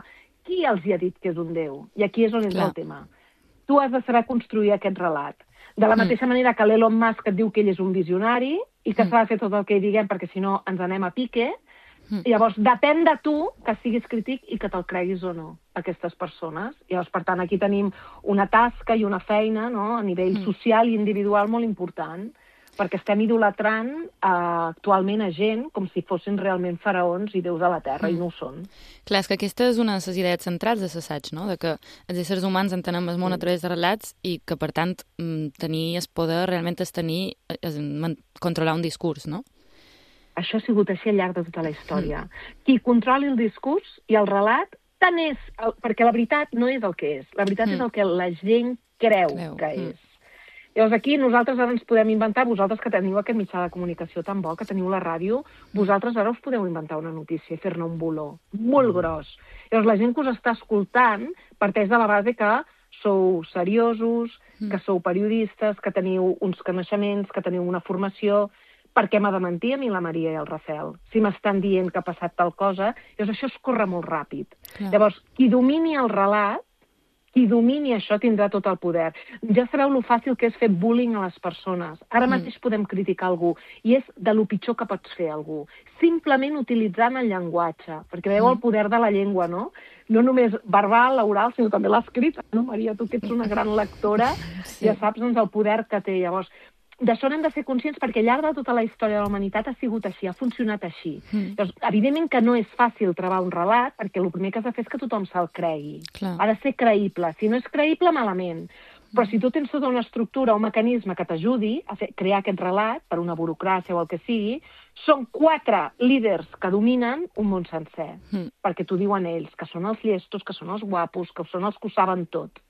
qui els hi ha dit que és un déu? I aquí és on és el tema. Tu has de saber construir aquest relat. De la mateixa manera que l'Elon Musk et diu que ell és un visionari i que s'ha de fer tot el que hi diguem perquè si no ens anem a pique. Llavors, depèn de tu que siguis crític i que te'l creguis o no, aquestes persones. Llavors, per tant, aquí tenim una tasca i una feina, no?, a nivell social i individual molt important, perquè estem idolatrant eh, actualment a gent com si fossin realment faraons i déus de la Terra, mm. i no ho són. Clar, és que aquesta és una de les idees centrals de l'assaig, no?, de que els éssers humans entenem el món a través de relats i que, per tant, tenir el poder realment és tenir, és controlar un discurs, no? Això ha sigut així al llarg de tota la història. Mm. Qui controli el discurs i el relat, tant és... El, perquè la veritat no és el que és. La veritat mm. és el que la gent creu, creu. que és. Mm. Llavors aquí nosaltres ara ens podem inventar, vosaltres que teniu aquest mitjà de comunicació tan bo, que teniu la ràdio, vosaltres ara us podeu inventar una notícia i fer-ne un boló molt gros. Llavors la gent que us està escoltant parteix de la base que sou seriosos, que sou periodistes, que teniu uns coneixements, que teniu una formació. Per què m'ha de mentir a mi la Maria i el Rafel? Si m'estan dient que ha passat tal cosa, llavors això es corre molt ràpid. Clar. Llavors, qui domini el relat, qui domini això tindrà tot el poder. Ja sabeu lo fàcil que és fer bullying a les persones. Ara mateix mm. podem criticar algú, i és de lo pitjor que pots fer algú. Simplement utilitzant el llenguatge, perquè veieu el poder de la llengua, no? No només verbal, l'oral, sinó també l'escrit. No, Maria, tu que ets una gran lectora, sí. ja saps doncs, el poder que té. Llavors, d'això n'hem de ser conscients perquè al llarg de tota la història de la humanitat ha sigut així, ha funcionat així. Mm. Llavors, evidentment que no és fàcil trobar un relat perquè el primer que has de fer és que tothom se'l cregui. Clar. Ha de ser creïble. Si no és creïble, malament. Però si tu tens tota una estructura, un mecanisme que t'ajudi a fer, crear aquest relat per una burocràcia o el que sigui, són quatre líders que dominen un món sencer. Mm. Perquè t'ho diuen ells, que són els llestos, que són els guapos, que són els que ho saben tot.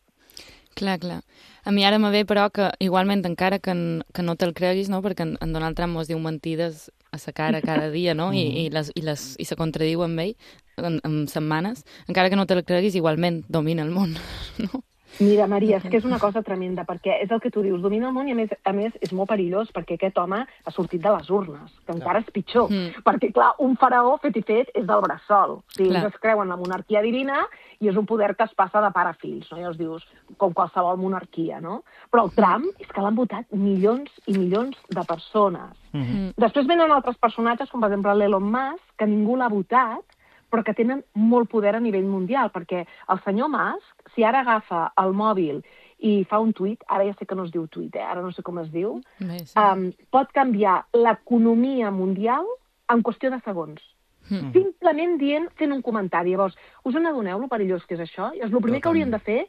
Clar, clar. A mi ara me ve, però, que igualment, encara que, que no te'l creguis, no?, perquè en, en Donald Trump mos diu mentides a sa cara cada dia, no?, I, i, les, i, les, i se contradiu amb ell en, en setmanes, encara que no te'l creguis, igualment domina el món, no? Mira, Maria, és que és una cosa tremenda, perquè és el que tu dius, domina el món i a més, a més és molt perillós perquè aquest home ha sortit de les urnes, que clar. Encara és pitjor, mm. perquè clar, un faraó fet i fet és del bressol, o sigui, ells es creuen la monarquia divina i és un poder que es passa de pare a fills, no? Llavors dius, com qualsevol monarquia, no? Però el Trump és que l'han votat milions i milions de persones. Mm-hmm. Després venen altres personatges, com per exemple l'Elon Musk, que ningú l'ha votat, però que tenen molt poder a nivell mundial, perquè el senyor Musk, si ara agafa el mòbil i fa un tuit, ara ja sé que no es diu tuit, eh? Ara no sé com es diu, sí. um, pot canviar l'economia mundial en qüestió de segons. Mm. Simplement dient, fent un comentari. Llavors, us n'adoneu lo perillós que és això? I el primer que haurien de fer,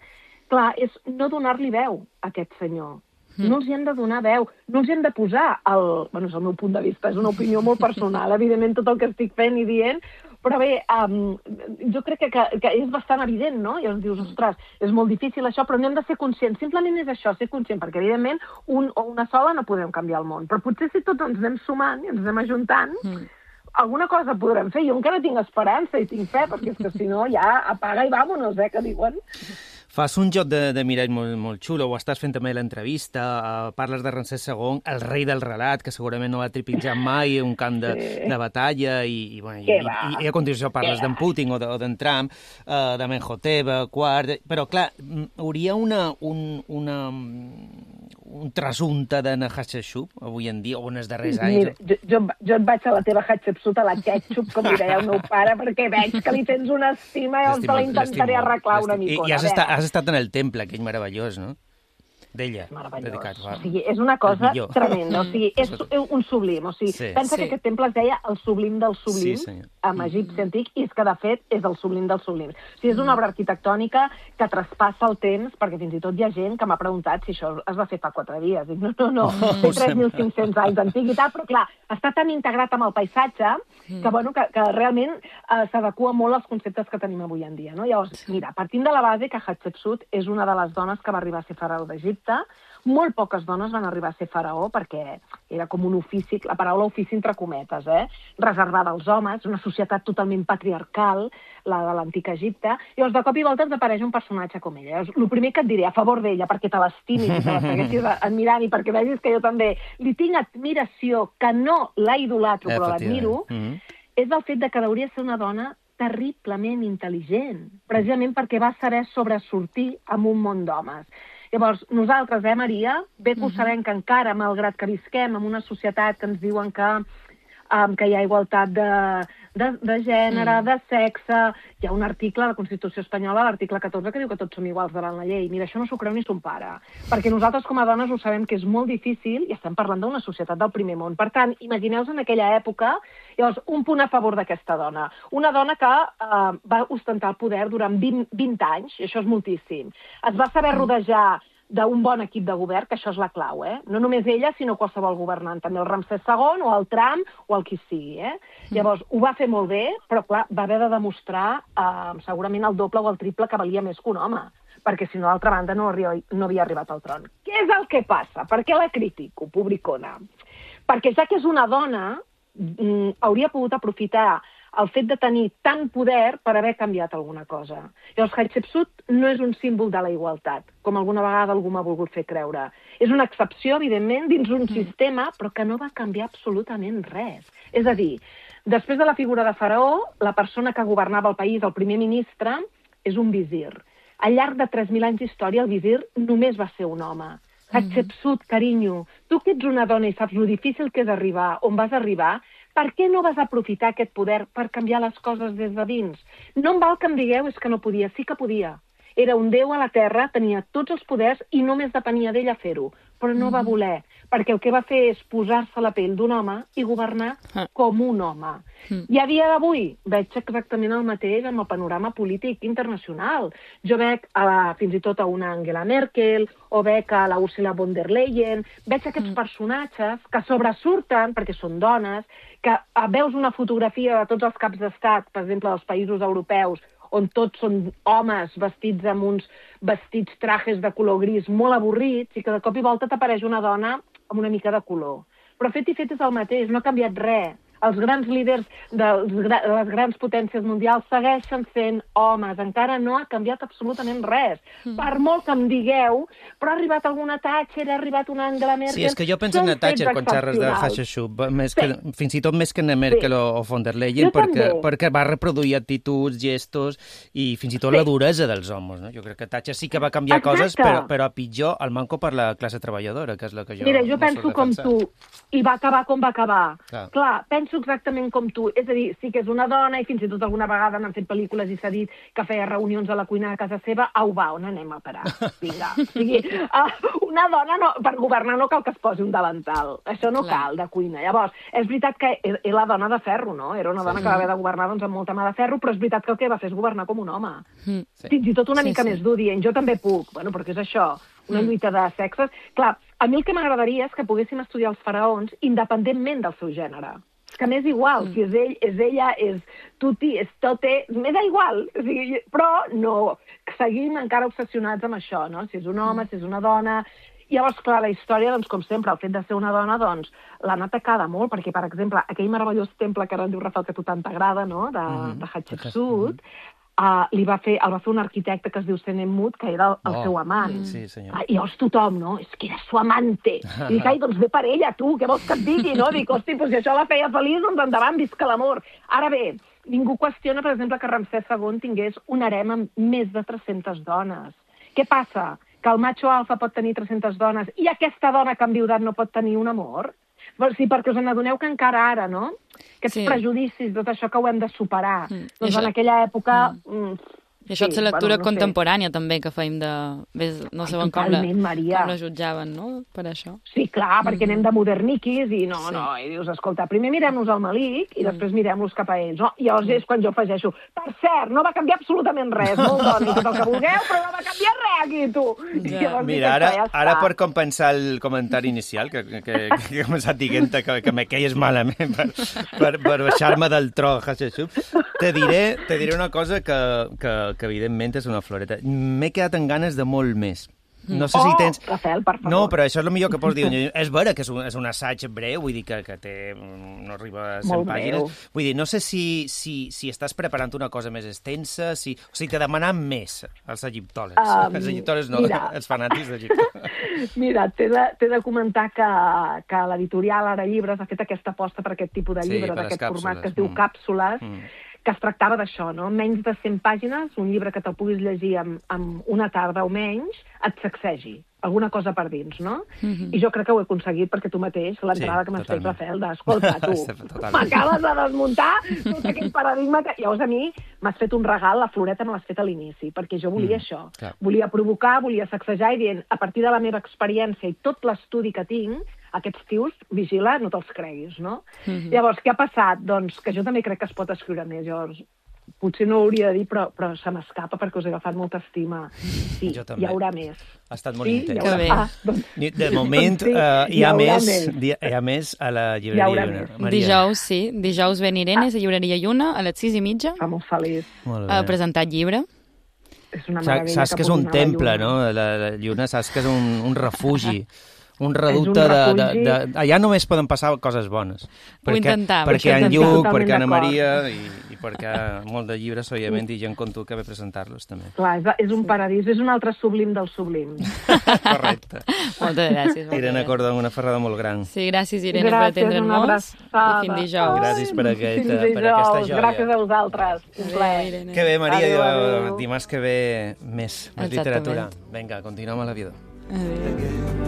clar, és no donar-li veu a aquest senyor. Mm. No els hi hem de donar veu, no els hi hem de posar el... Bueno, és el meu punt de vista, és una opinió molt personal, evidentment tot el que estic fent i dient, però bé, um, jo crec que, que, que és bastant evident, no? I llavors dius, ostres, és molt difícil això, però no hem de ser conscients. Simplement és això, ser conscient, perquè evidentment un o una sola no podem canviar el món. Però potser si tots ens anem sumant i ens anem ajuntant, mm. alguna cosa podrem fer. Jo encara tinc esperança i tinc fe, perquè és que si no ja apaga i vámonos, eh, que diuen. Fas un joc de, de mirall molt, molt xulo, ho estàs fent també a l'entrevista, uh, parles de Ramsès segon, el rei del relat, que segurament no va trepitjar mai un camp de, sí. de batalla, i, i, bueno, i, i, i a continuació parles d'en Putin o d'en Trump, uh, de Menhotep, quart... Però, clar, hauria una, un, una, un trasunte de Hatshepsut avui en dia, o en els darrers anys? Mira, jo, jo, jo et vaig a la teva Hatshepsut, a la ketchup, com li deia el meu pare, perquè veig que li tens una estima i els te la intentaré arreglar una micona. I, i has, estat, has estat en el temple, aquell meravellós, no? D'ella. Meravellós. O sigui, és una cosa tremenda. O sigui, és un sublim. O sigui, sí. pensa sí. que aquest temple es deia el sublim del sublim, sí, amb egipci antic, i és que, de fet, és el sublim dels sublims. O sigui, és una obra arquitectònica que traspassa el temps, perquè fins i tot hi ha gent que m'ha preguntat si això es va fer fa quatre dies. Dic, no, no, no, té tres mil cinc-cents anys d'antiguitat, però clar, està tan integrat amb el paisatge que, bueno, que, que realment eh, s'adequa molt als conceptes que tenim avui en dia. No? Llavors, mira, partint de la base que Hatshepsut és una de les dones que va arribar a ser faraó d'Egipte. Molt poques dones van arribar a ser faraó perquè era com un ofici, la paraula ofici entre cometes, eh? reservada als homes, una societat totalment patriarcal, la de l'antic Egipte. Llavors, de cop i volta ens apareix un personatge com ella. Llavors, el primer que et diré a favor d'ella, perquè te l'estimis i te la segueixis admirant i perquè vegis que jo també li tinc admiració, que no la idolatro, però l'admiro, mm-hmm. és el fet de que hauria de ser una dona terriblement intel·ligent, precisament perquè va saber sobresortir en un món d'homes. Llavors, nosaltres, eh, Maria, bé que ho sabem que encara, malgrat que visquem en una societat que ens diuen que, um, que hi ha igualtat de, de, de gènere, mm. de sexe... Hi ha un article a la Constitució espanyola, l'article catorze, que diu que tots som iguals davant la llei. Mira, això no s'ho creu ni son pare. Perquè nosaltres, com a dones, ho sabem que és molt difícil i estem parlant d'una societat del primer món. Per tant, imagineu-vos en aquella època, llavors, un punt a favor d'aquesta dona. Una dona que eh, va ostentar el poder durant vint, vint anys, i això és moltíssim. Es va saber rodejar d'un bon equip de govern, que això és la clau, eh? No només ella, sinó qualsevol governant, també el Ramsès segon, o el Trump, o el qui sigui, eh? Llavors, ho va fer molt bé, però, clar, va haver de demostrar eh, segurament el doble o el triple que valia més que un home, perquè, si no, d'altra banda, no, no havia arribat al tron. Què és el que passa? Per què la critico, publicona? Perquè ja que és una dona, mm, hauria pogut aprofitar el fet de tenir tant poder per haver canviat alguna cosa. Llavors, Hatshepsut no és un símbol de la igualtat, com alguna vegada algú m'ha volgut fer creure. És una excepció, evidentment, dins un sistema, però que no va canviar absolutament res. És a dir, després de la figura de faraó, la persona que governava el país, el primer ministre, és un visir. Al llarg de tres mil anys d'història, el visir només va ser un home. Hatshepsut, carinyo, tu que ets una dona i saps lo difícil que és arribar on vas arribar, per què no vas aprofitar aquest poder per canviar les coses des de dins? No em val que em digueu és que no podia, sí que podia. Era un déu a la terra, tenia tots els poders i només depenia d'ella fer-ho, però no va voler, perquè el que va fer és posar-se la pell d'un home i governar com un home. I a dia d'avui veig exactament el mateix amb el panorama polític internacional. Jo veig a la, fins i tot a una Angela Merkel, o veig a la Ursula von der Leyen, veig aquests personatges que sobresurten, perquè són dones, que veus una fotografia de tots els caps d'estat, per exemple, dels països europeus, on tots són homes vestits amb uns vestits trajes de color gris molt avorrits i que de cop i volta t'apareix una dona amb una mica de color. Però fet i fet és el mateix, no ha canviat res. Els grans líders de les grans potències mundials segueixen sent homes. Encara no ha canviat absolutament res. Mm. Per molt que em digueu, però ha arribat alguna Thatcher, ha arribat una Angela Merkel... Sí, és que jo penso en la Thatcher quan xerres de Hatshepsut, que, fins i tot més que en Merkel sí. o von der Leyen, perquè, perquè va reproduir actituds, gestos i fins i tot sí. la duresa dels homes. No? Jo crec que Thatcher sí que va canviar Exacte. coses, però, però a pitjor el manco per la classe treballadora, que és la que jo... Mira, jo penso com tu, i va acabar com va acabar. Clar. Clar, penso exactament com tu. És a dir, sí que és una dona, i fins i tot alguna vegada n'han fet pel·lícules i s'ha dit que feia reunions a la cuina de casa seva. Au, va, on anem a parar? Vinga. O sigui, una dona no, per governar no cal que es posi un davantal. Això no Clar. cal, de cuina. Llavors, és veritat que és la dona de ferro, no? Era una dona sí. que va haver de governar doncs, amb molta mà de ferro, però és veritat que el que va fer és governar com un home. Sí. Fins i tot una sí, mica sí. més dur, dient, jo també puc. Bueno, perquè és això, una lluita de sexes. Clar, a mi el que m'agradaria és que poguéssim estudiar els faraons independentment del seu gènere. És que m'és igual, mm. si és ell, és ella, és tuti, és tote, m'és igual. O sigui, però no, seguim encara obsessionats amb això, no? Si és un home, mm. si és una dona... I llavors, clar, la història, doncs, com sempre, el fet de ser una dona, doncs, l'han atacada molt, perquè, per exemple, aquell meravellós temple que ara en diu Rafael, que a tu tant t'agrada, no?, de, mm-hmm. de Hatshepsut, Uh, li va fer, el va fer un arquitecte que es diu Senemut, que era el, el oh, seu amant. Sí, senyor. Uh, I llavors tothom, no? És que era su amante. I dic, ai, doncs ve per ella, tu, què vols que et digui, no? Dic, hosti, doncs si això la feia feliç, doncs endavant, visca l'amor. Ara bé, ningú qüestiona, per exemple, que Ramsès segon tingués un harem amb més de tres-centes dones. Què passa? Que el macho alfa pot tenir tres-centes dones i aquesta dona que ha enviudat no pot tenir un amor? Sí, perquè us n'adoneu que encara ara, no? Aquests sí. prejudicis, tot això que ho hem de superar. Mm. Doncs això... en aquella època... Mm. I això és sí, la lectura bueno, no contemporània, sé. també, que feim de... Ves, no sabem com la, com la jutjaven, no?, per això. Sí, clar, perquè mm. anem de moderniquis i no, sí. no, i dius, escolta, primer mirem-nos al Malik i mm. després mirem-los cap a ells. No? I llavors és quan jo afegeixo, per cert, no va canviar absolutament res, molt dona, i tot el que vulgueu, però no va canviar res aquí, tu. Ja. Mira, ara, ja ara per compensar el comentari inicial, que, que, que, que he començat dient que, que me queies malament per, per, per baixar-me del tro, Hatshepsut, te diré, te diré una cosa que, que, que evidentment és una floreta. M'he quedat amb ganes de molt més. No sé oh, si tens... Rafael, per favor. No, però això és el millor que pots dir. És vera que és un, és un assaig breu, vull dir que, que té, no arriba a cent molt pàgines. Breu. Vull dir, no sé si, si, si estàs preparant una cosa més extensa, si, o sigui, t'he demanat més als egiptòlegs. Um, els egiptòlegs no, mira. els fanàtics d'Egipte. Mira, t'he de, t'he de comentar que, que l'editorial Ara Llibres ha fet aquesta aposta per aquest tipus de llibre, sí, d'aquest format que es diu mm. Càpsules, mm. que es tractava d'això, no? Menys de cent pàgines, un llibre que te'l puguis llegir amb, amb una tarda o menys, et sacsegi alguna cosa per dins, no? Mm-hmm. I jo crec que ho he aconseguit perquè tu mateix, l'entrada sí, que m'has fet, Rafael, d'escolta, tu, m'acabes de desmuntar tot aquell paradigma que... Llavors a mi m'has fet un regal, la floreta me l'has fet a l'inici, perquè jo volia mm, això. Clar. Volia provocar, volia sacsejar i dient, a partir de la meva experiència i tot l'estudi que tinc, aquests tios, vigila, no te'ls creguis, no? Mm-hmm. Llavors, què ha passat? Doncs que jo també crec que es pot escriure més. Llavors, potser no ho hauria de dir, però, però se m'escapa perquè us he agafat molta estima. Sí, hi haurà més. Ha estat molt sí, intens. Haurà... Ah, doncs... De moment, sí, uh, hi, ha hi, més, més. hi ha més a la llibreria Lluna. Dijous, sí. Dijous ven Irene, ah. a llibreria Lluna, a les sis i mitja. Fa molt feliç. Molt a presentar llibre. És una meravella. Saps que, que és un temple, no? La, la Lluna, saps que és un, un refugi. Un reducte un de, de, de... Allà només poden passar coses bones. Perquè, intentava, perquè en Lluc, perquè Anna Maria i, i perquè molt de llibres, òbviament, i gent com tu que ve presentar-los també. Clar, és, és un paradís, és un altre sublim del sublim. Correcte. Moltes gràcies. Moltes Irene Cordó, una ferrada molt gran. Sí, gràcies, Irene, gràcies, per atendre'ns. I fins dijous. Gràcies per, aquest, per aquesta joia. Gràcies a vosaltres. Un plaer. Que bé, Maria, adéu, adéu. Dimarts que ve més, més literatura. Vinga, continuem a l'aviador. Adéu.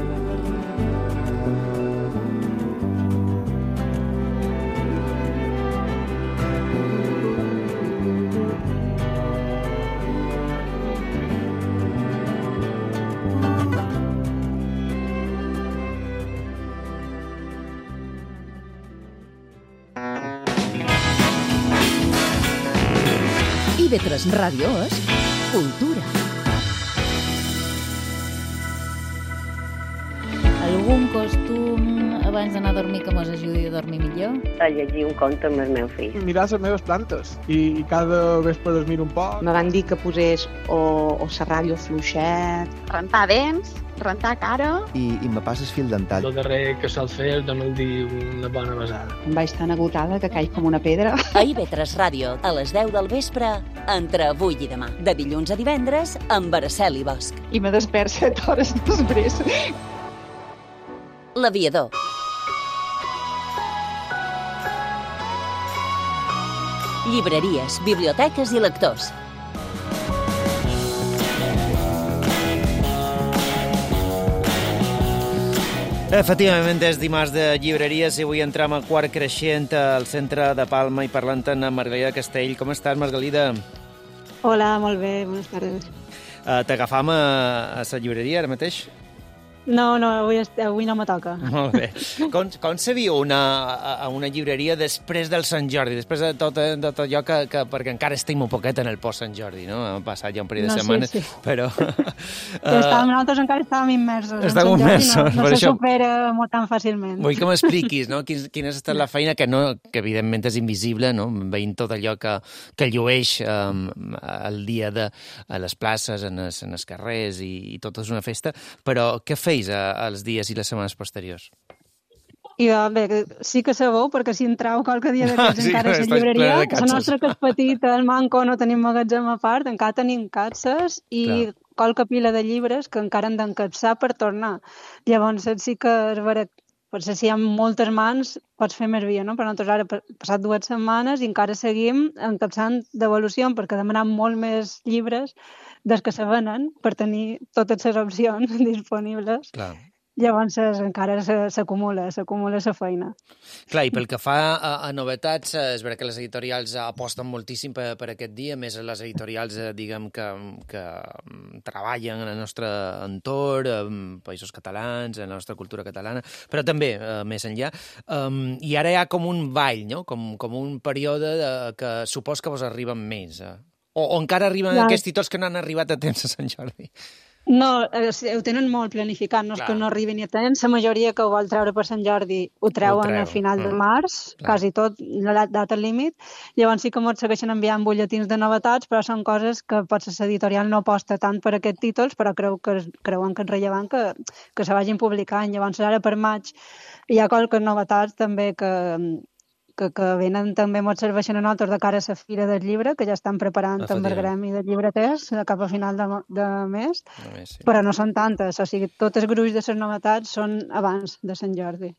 I ve tres Ràdio és cultura. Algun costum a abans d'anar a dormir que mos ajudi a dormir millor? A llegir un conte amb el meu fill. Mirar les meves plantes i, i cada vespre les miro un poc. Me van dir que posés o, o la ràdio fluixet. Rentar dents, rentar cara... I, i me passes fil dental. El darrer que sol fer és donar-li dir una bona besada. Em vaig tan agotada que caig com una pedra. A I V tres Ràdio, a les deu del vespre, entre avui i demà. De dilluns a divendres, amb Araceli Bosch. I me despert set hores després. L'Aviador. Llibreries, biblioteques i lectors. Efectivament, és dimarts de llibreries i avui entram a Quart Creixent al centre de Palma i parlant amb Margalida Castell. Com estàs, Margalida? Hola, molt bé, bones tardes. Uh, T'agafam a, a la llibreria ara mateix? No, no, avui, avui no me toca. Molt bé. Com, com se viu una, a una llibreria després del Sant Jordi, després de tot, de tot allò que, que... Perquè encara estem un poquet en el post-Sant Jordi, no? Ha passat ja un parell de no, setmanes, sí, sí. però... Ja estàvem, nosaltres encara estàvem immersos. Estàvem immersos, no, no per se això... supera molt tan fàcilment. Vull que m'expliquis, no? Quin, quina ha estat la feina que, no, que evidentment és invisible, no? Veient tot allò que, que llueix um, el dia de, a les places, en els, en els carrers, i, i tot és una festa, però què feis a, als dies i les setmanes posteriors? I bé, sí que sabeu, perquè si entrau qualque dia d'aquests sí, encara a la llibreria, la nostra que és petita, el manco, no tenim magatzem a part, encara tenim capses i clar, qualque pila de llibres que encara han d'encapsar per tornar. Llavors sí que és vera, potser si hi ha moltes mans pots fer més via, no? Però nosaltres ara hem passat dues setmanes i encara seguim encapçant devolució perquè demanem molt més llibres des que se venen per tenir totes les opcions disponibles. Clar. Llavors encara s'acumula, s'acumula la feina. Clar, i pel que fa a, a novetats, és veritat que les editorials aposten moltíssim per, per aquest dia, més les editorials, diguem, que, que treballen en el nostre entorn, en països catalans, en la nostra cultura catalana, però també eh, més enllà. Um, I ara hi ha com un ball, no? Com, com un període de, que supos que vos arriben més. Eh? O, o encara arriben ja. Aquests títols que no han arribat a temps a Sant Jordi? No, ho tenen molt planificat, no és que no arribin a temps. La majoria que ho vol treure per Sant Jordi ho treuen a final de març, mm. quasi tot, la data límit. Llavors sí que ens segueixen enviant butlletins de novetats, però són coses que potser l'editorial no aposta tant per aquests títols, però creu que, creuen que és rellevant que, que se vagin publicant. Llavors ara per maig hi ha qualques novetats també que... Que, que venen també molt serveixen a nosaltres de cara a la Fira del Llibre, que ja estan preparant també el gremi de llibreters cap a final de, de mes, no més, sí. Però no són tantes, o sigui, tot el gruix de les novetats són abans de Sant Jordi.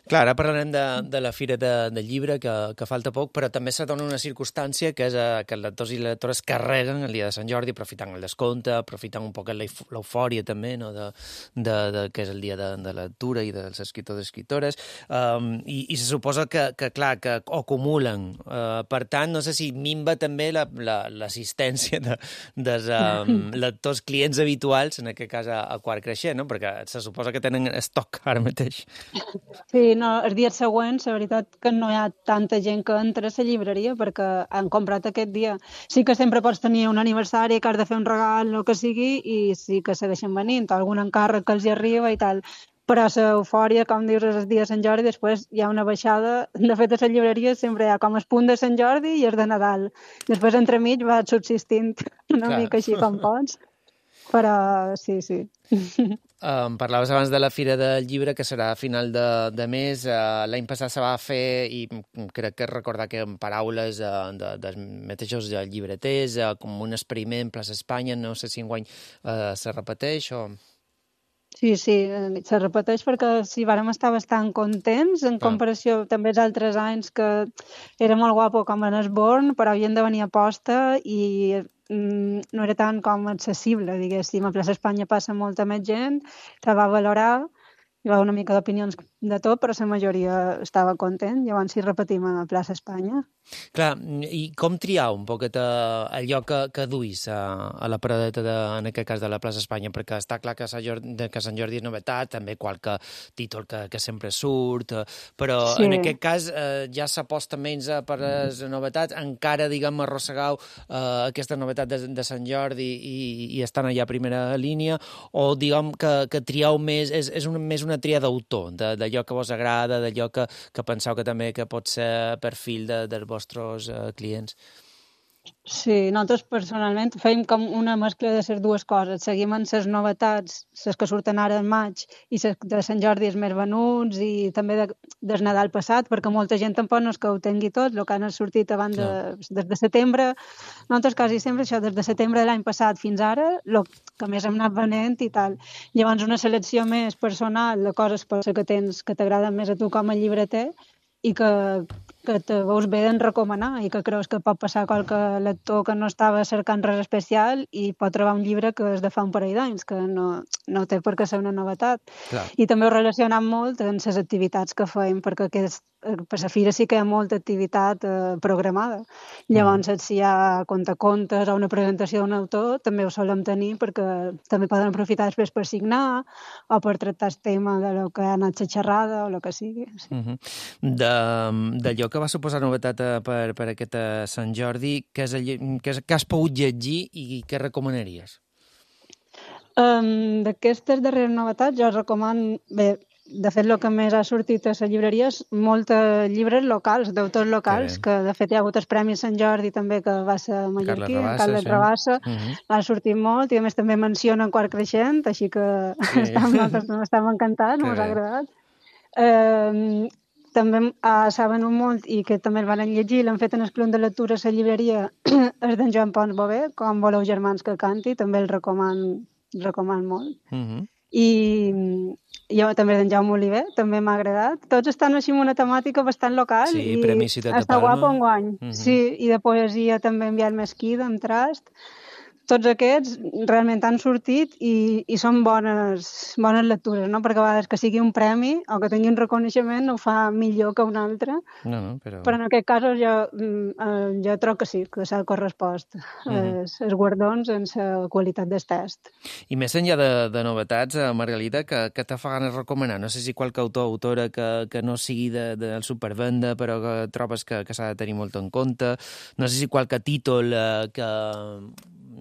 Clar, ara parlarem de, de la Fira de, de Llibre, que, que falta poc, però també se dona una circumstància que és uh, que els lectors i les lectores carreguen el dia de Sant Jordi, aprofitant el descompte, aprofitant un poc l'eufòria també, no? de, de, de, que és el dia de, de la lectura i dels escriptors i escriptores, um, i, i se suposa que, que clar, que acumulen. Uh, per tant, no sé si minva també l'assistència la, la, de, dels um, lectors clients habituals, en aquest cas a, a Quart Creixent, no? Perquè se suposa que tenen estoc ara mateix. Sí, no, els dies següents, la veritat que no hi ha tanta gent que entra a la llibreria perquè han comprat aquest dia. Sí que sempre pots tenir un aniversari, que has de fer un regal, el que sigui, i sí que segueixen venint, algun encàrrec que els hi arriba i tal. Però l'eufòria, com dius, és el dia de Sant Jordi, després hi ha una baixada. De fet, a la llibreria sempre hi ha com el punt de Sant Jordi i el de Nadal. Després, entremig, va subsistint una Clar. mica així com pots. Però sí, sí. Um, parlaves abans de la Fira del Llibre, que serà a final de, de mes. Uh, L'any passat se va fer, i crec que recordar que en paraules uh, de, dels mateixos llibreters, uh, com un experiment Plaça Espanya, no sé si enguany uh, se repeteix o... Sí, sí, se repeteix perquè sí, vàrem estar bastant contents en comparació ah. també als altres anys que era molt guapo com en Esborn, però havien de venir a posta i mm, no era tant com accessible, diguéssim. A Plaça Espanya passa molta més gent, se va valorar, hi va una mica d'opinions de tot, però la majoria estava content, llavors sí repetim a Plaça Espanya. Clar, i com triar un poquet allò que, que duis a, a la paradeta, de, en aquest cas de la Plaça Espanya, perquè està clar que Sant Jordi, que Sant Jordi és novetat, també qualque títol que, que sempre surt, però sí. En aquest cas eh, ja s'aposta menys per les novetats, encara, diguem, arrossegau eh, aquesta novetat de, de Sant Jordi i, i estan allà a primera línia, o diguem que, que trieu més, és, és un, més una una tria d'autor, d'allò que vos agrada, d'allò que, que penseu que també que pot ser perfil de, dels vostres uh, clients. Sí, nosaltres personalment feim com una mescla de les dues coses. Seguim en les novetats, les que surten ara en maig, i les de Sant Jordi els més venuts, i també de, del Nadal passat, perquè molta gent tampoc no és que ho tingui tot, el que han sortit abans de, des de setembre. Nosaltres quasi sempre això, des de setembre de l'any passat fins ara, el que més hem anat venent i tal. Llavors una selecció més personal de coses per que tens que t'agraden més a tu com a llibreter i que que te veus bé en recomanar i que creus que pot passar qualque lector que no estava cercant res especial i pot trobar un llibre que és de fa un parell d'anys, que no, no té per què ser una novetat. Clar. I també ho relacionam molt en les activitats que fem, perquè aquest, per la fira sí que hi ha molta activitat eh, programada. Llavors, mm. si hi ha contacontes o una presentació d'un autor, també ho solem tenir perquè també poden aprofitar després per signar o per tractar el tema de lo que ha anat la xerrada o el que sigui. Sí. Mm-hmm. De, d'allò que va suposar novetat per, per aquest Sant Jordi, què, és el, què, és, què has pogut llegir i què recomanaries? Um, D'aquestes darreres novetats jo recomano, bé, de fet el que més ha sortit a les llibreries, molts llibres locals, d'autors locals, que, que de fet hi ha hagut el Premi Sant Jordi també, que va ser mallorquí, Carles Rabassa, sí. uh-huh. ha sortit molt, i a més també menciona en Quart Creixent, així que sí. estem, nosaltres estem encantats, no us ha agradat. Um, També uh, saben un molt, i que també el van llegir, l'han fet en el Club de Lectura a la llibreria, és d'en Joan Pons Bové, Com voleu germans que canti, també el recoman, el recoman molt. Uh-huh. I jo també d'en Jaume Oliver, també m'ha agradat. Tots estan així amb una temàtica bastant local. Sí, i Premi Ciutat de està Palma. Guapo enguany. Uh-huh. Sí, i de poesia també enviat Mesquí, d'en Trast. Tots aquests realment han sortit i, i són bones, bones lectures, no? Perquè a vegades que sigui un premi o que tingui un reconeixement ho fa millor que un altre. No, no, però... però en aquest cas jo, jo trobo que sí, que s'ha correspost mm-hmm. els, els guardons en la qualitat del test. I més enllà de, de novetats, Margalida, que, que te fa ganes recomanar? No sé si qualque autor o autora que, que no sigui de, del supervenda, però que trobes que, que s'ha de tenir molt en compte. No sé si qualque títol eh, que...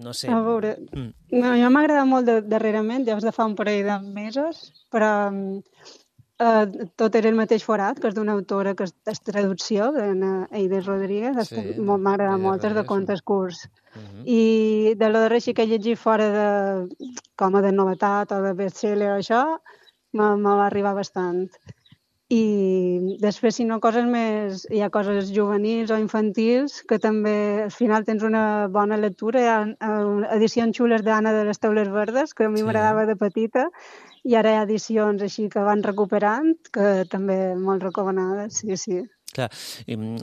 No sé. A veure, mm. no, jo m'ha agradat molt de, darrerament, ja de fa un parell de mesos, però eh, tot era el mateix forat, que és d'una autora que és, és traducció, d'Eider Rodríguez, sí, m'ha agradat molt, és de contes curts. Uh-huh. I de lo darrer sí que he llegit fora de, com a de novetat o de bestseller o això, me, me va arribar bastant. I després, si no, coses més... Hi ha coses juvenils o infantils que també al final tens una bona lectura. Hi ha edicions xules d'Anna de les Teules Verdes, que a mi sí. m'agradava de petita, i ara hi ha edicions així que van recuperant, que també molt recomanades, sí, sí. Clar,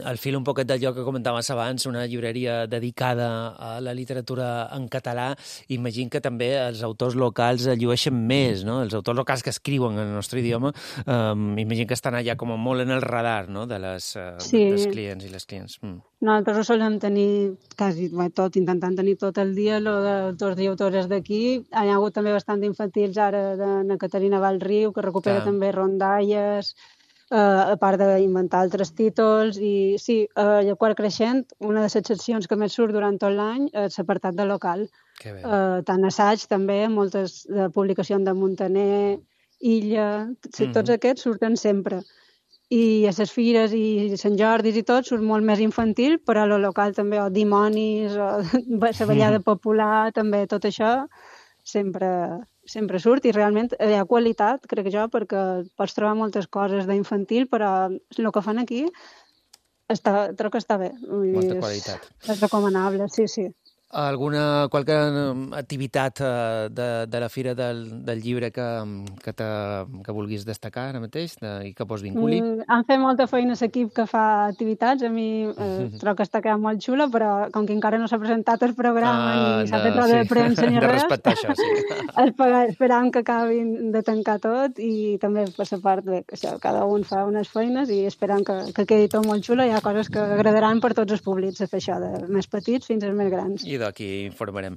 al fil un poquet d'allò que comentaves abans, una llibreria dedicada a la literatura en català, imagino que també els autors locals llueixen més, no? Els autors locals que escriuen en el nostre idioma, um, imagino que estan allà com molt en el radar, no? De les, uh, sí. dels clients i les clients. Mm. Nosaltres ho solem tenir quasi tot, intentant tenir tot el dia, lo d'autors i autores d'aquí. Hi ha hagut també bastant d'infantils ara de na Caterina Valriu, que recupera Clar. també rondalles, Uh, a part d'inventar altres títols. I sí, uh, a Quart Creixent, una de les seccions que més surt durant tot l'any és l'apartat de local. Uh, tant assaig també, moltes de publicacions de Muntaner, Illa, mm-hmm. tots aquests surten sempre. I a les fires i Sant Jordis i tot surt molt més infantil, però a lo local també, o dimonis, o la ballada popular, també tot això sempre... sempre surt i realment hi ha qualitat, crec jo, perquè pots trobar moltes coses d'infantil, però el que fan aquí està, trobo que està bé. Molta qualitat. És, és recomanable, sí, sí. Alguna, qualque activitat de, de la Fira del, del Llibre que, que, te, que vulguis destacar ara mateix de, i que vos vinculi? Mm, han fet molta feina l'equip que fa activitats. A mi eh, trobo que està quedant molt xula, però com que encara no s'ha presentat el programa ah, ni s'ha fet roda sí. de premsa ni de res, respectar això, sí. esperam que acabin de tancar tot i també per la part bé, que això, cada un fa unes feines i esperam que, que quedi tot molt xula. Hi ha coses que agradaran per tots els públics, fer això, de més petits fins als més grans. I d'aquí informarem.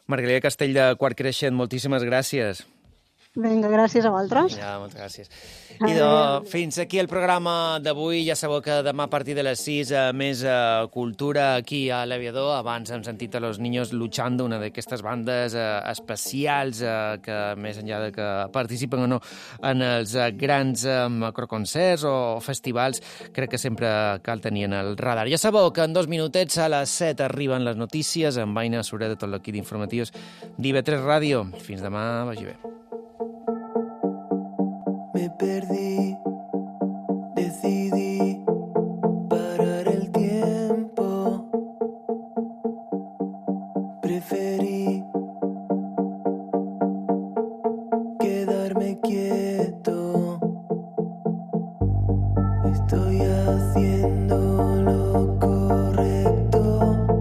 Margalida Castell de Quart Creixent, moltíssimes gràcies. Vinga, gràcies a vosaltres. Ja, moltes gràcies. I de, fins aquí el programa d'avui. Ja sabeu que demà a partir de les sis eh, més eh, cultura aquí a l'Aviador. Abans hem sentit a Los Niños Luchando, una d'aquestes bandes eh, especials eh, que més enllà de que participen o no en els eh, grans eh, macroconcerts o festivals, crec que sempre cal tenir en el radar. Ja sabeu que en dos minutets a les set arriben les notícies amb Aina Sureda de tot l'equip d'informatius d'I V tres Ràdio. Fins demà, vagi bé. Me perdí, decidí parar el tiempo, preferí quedarme quieto, estoy haciendo lo correcto.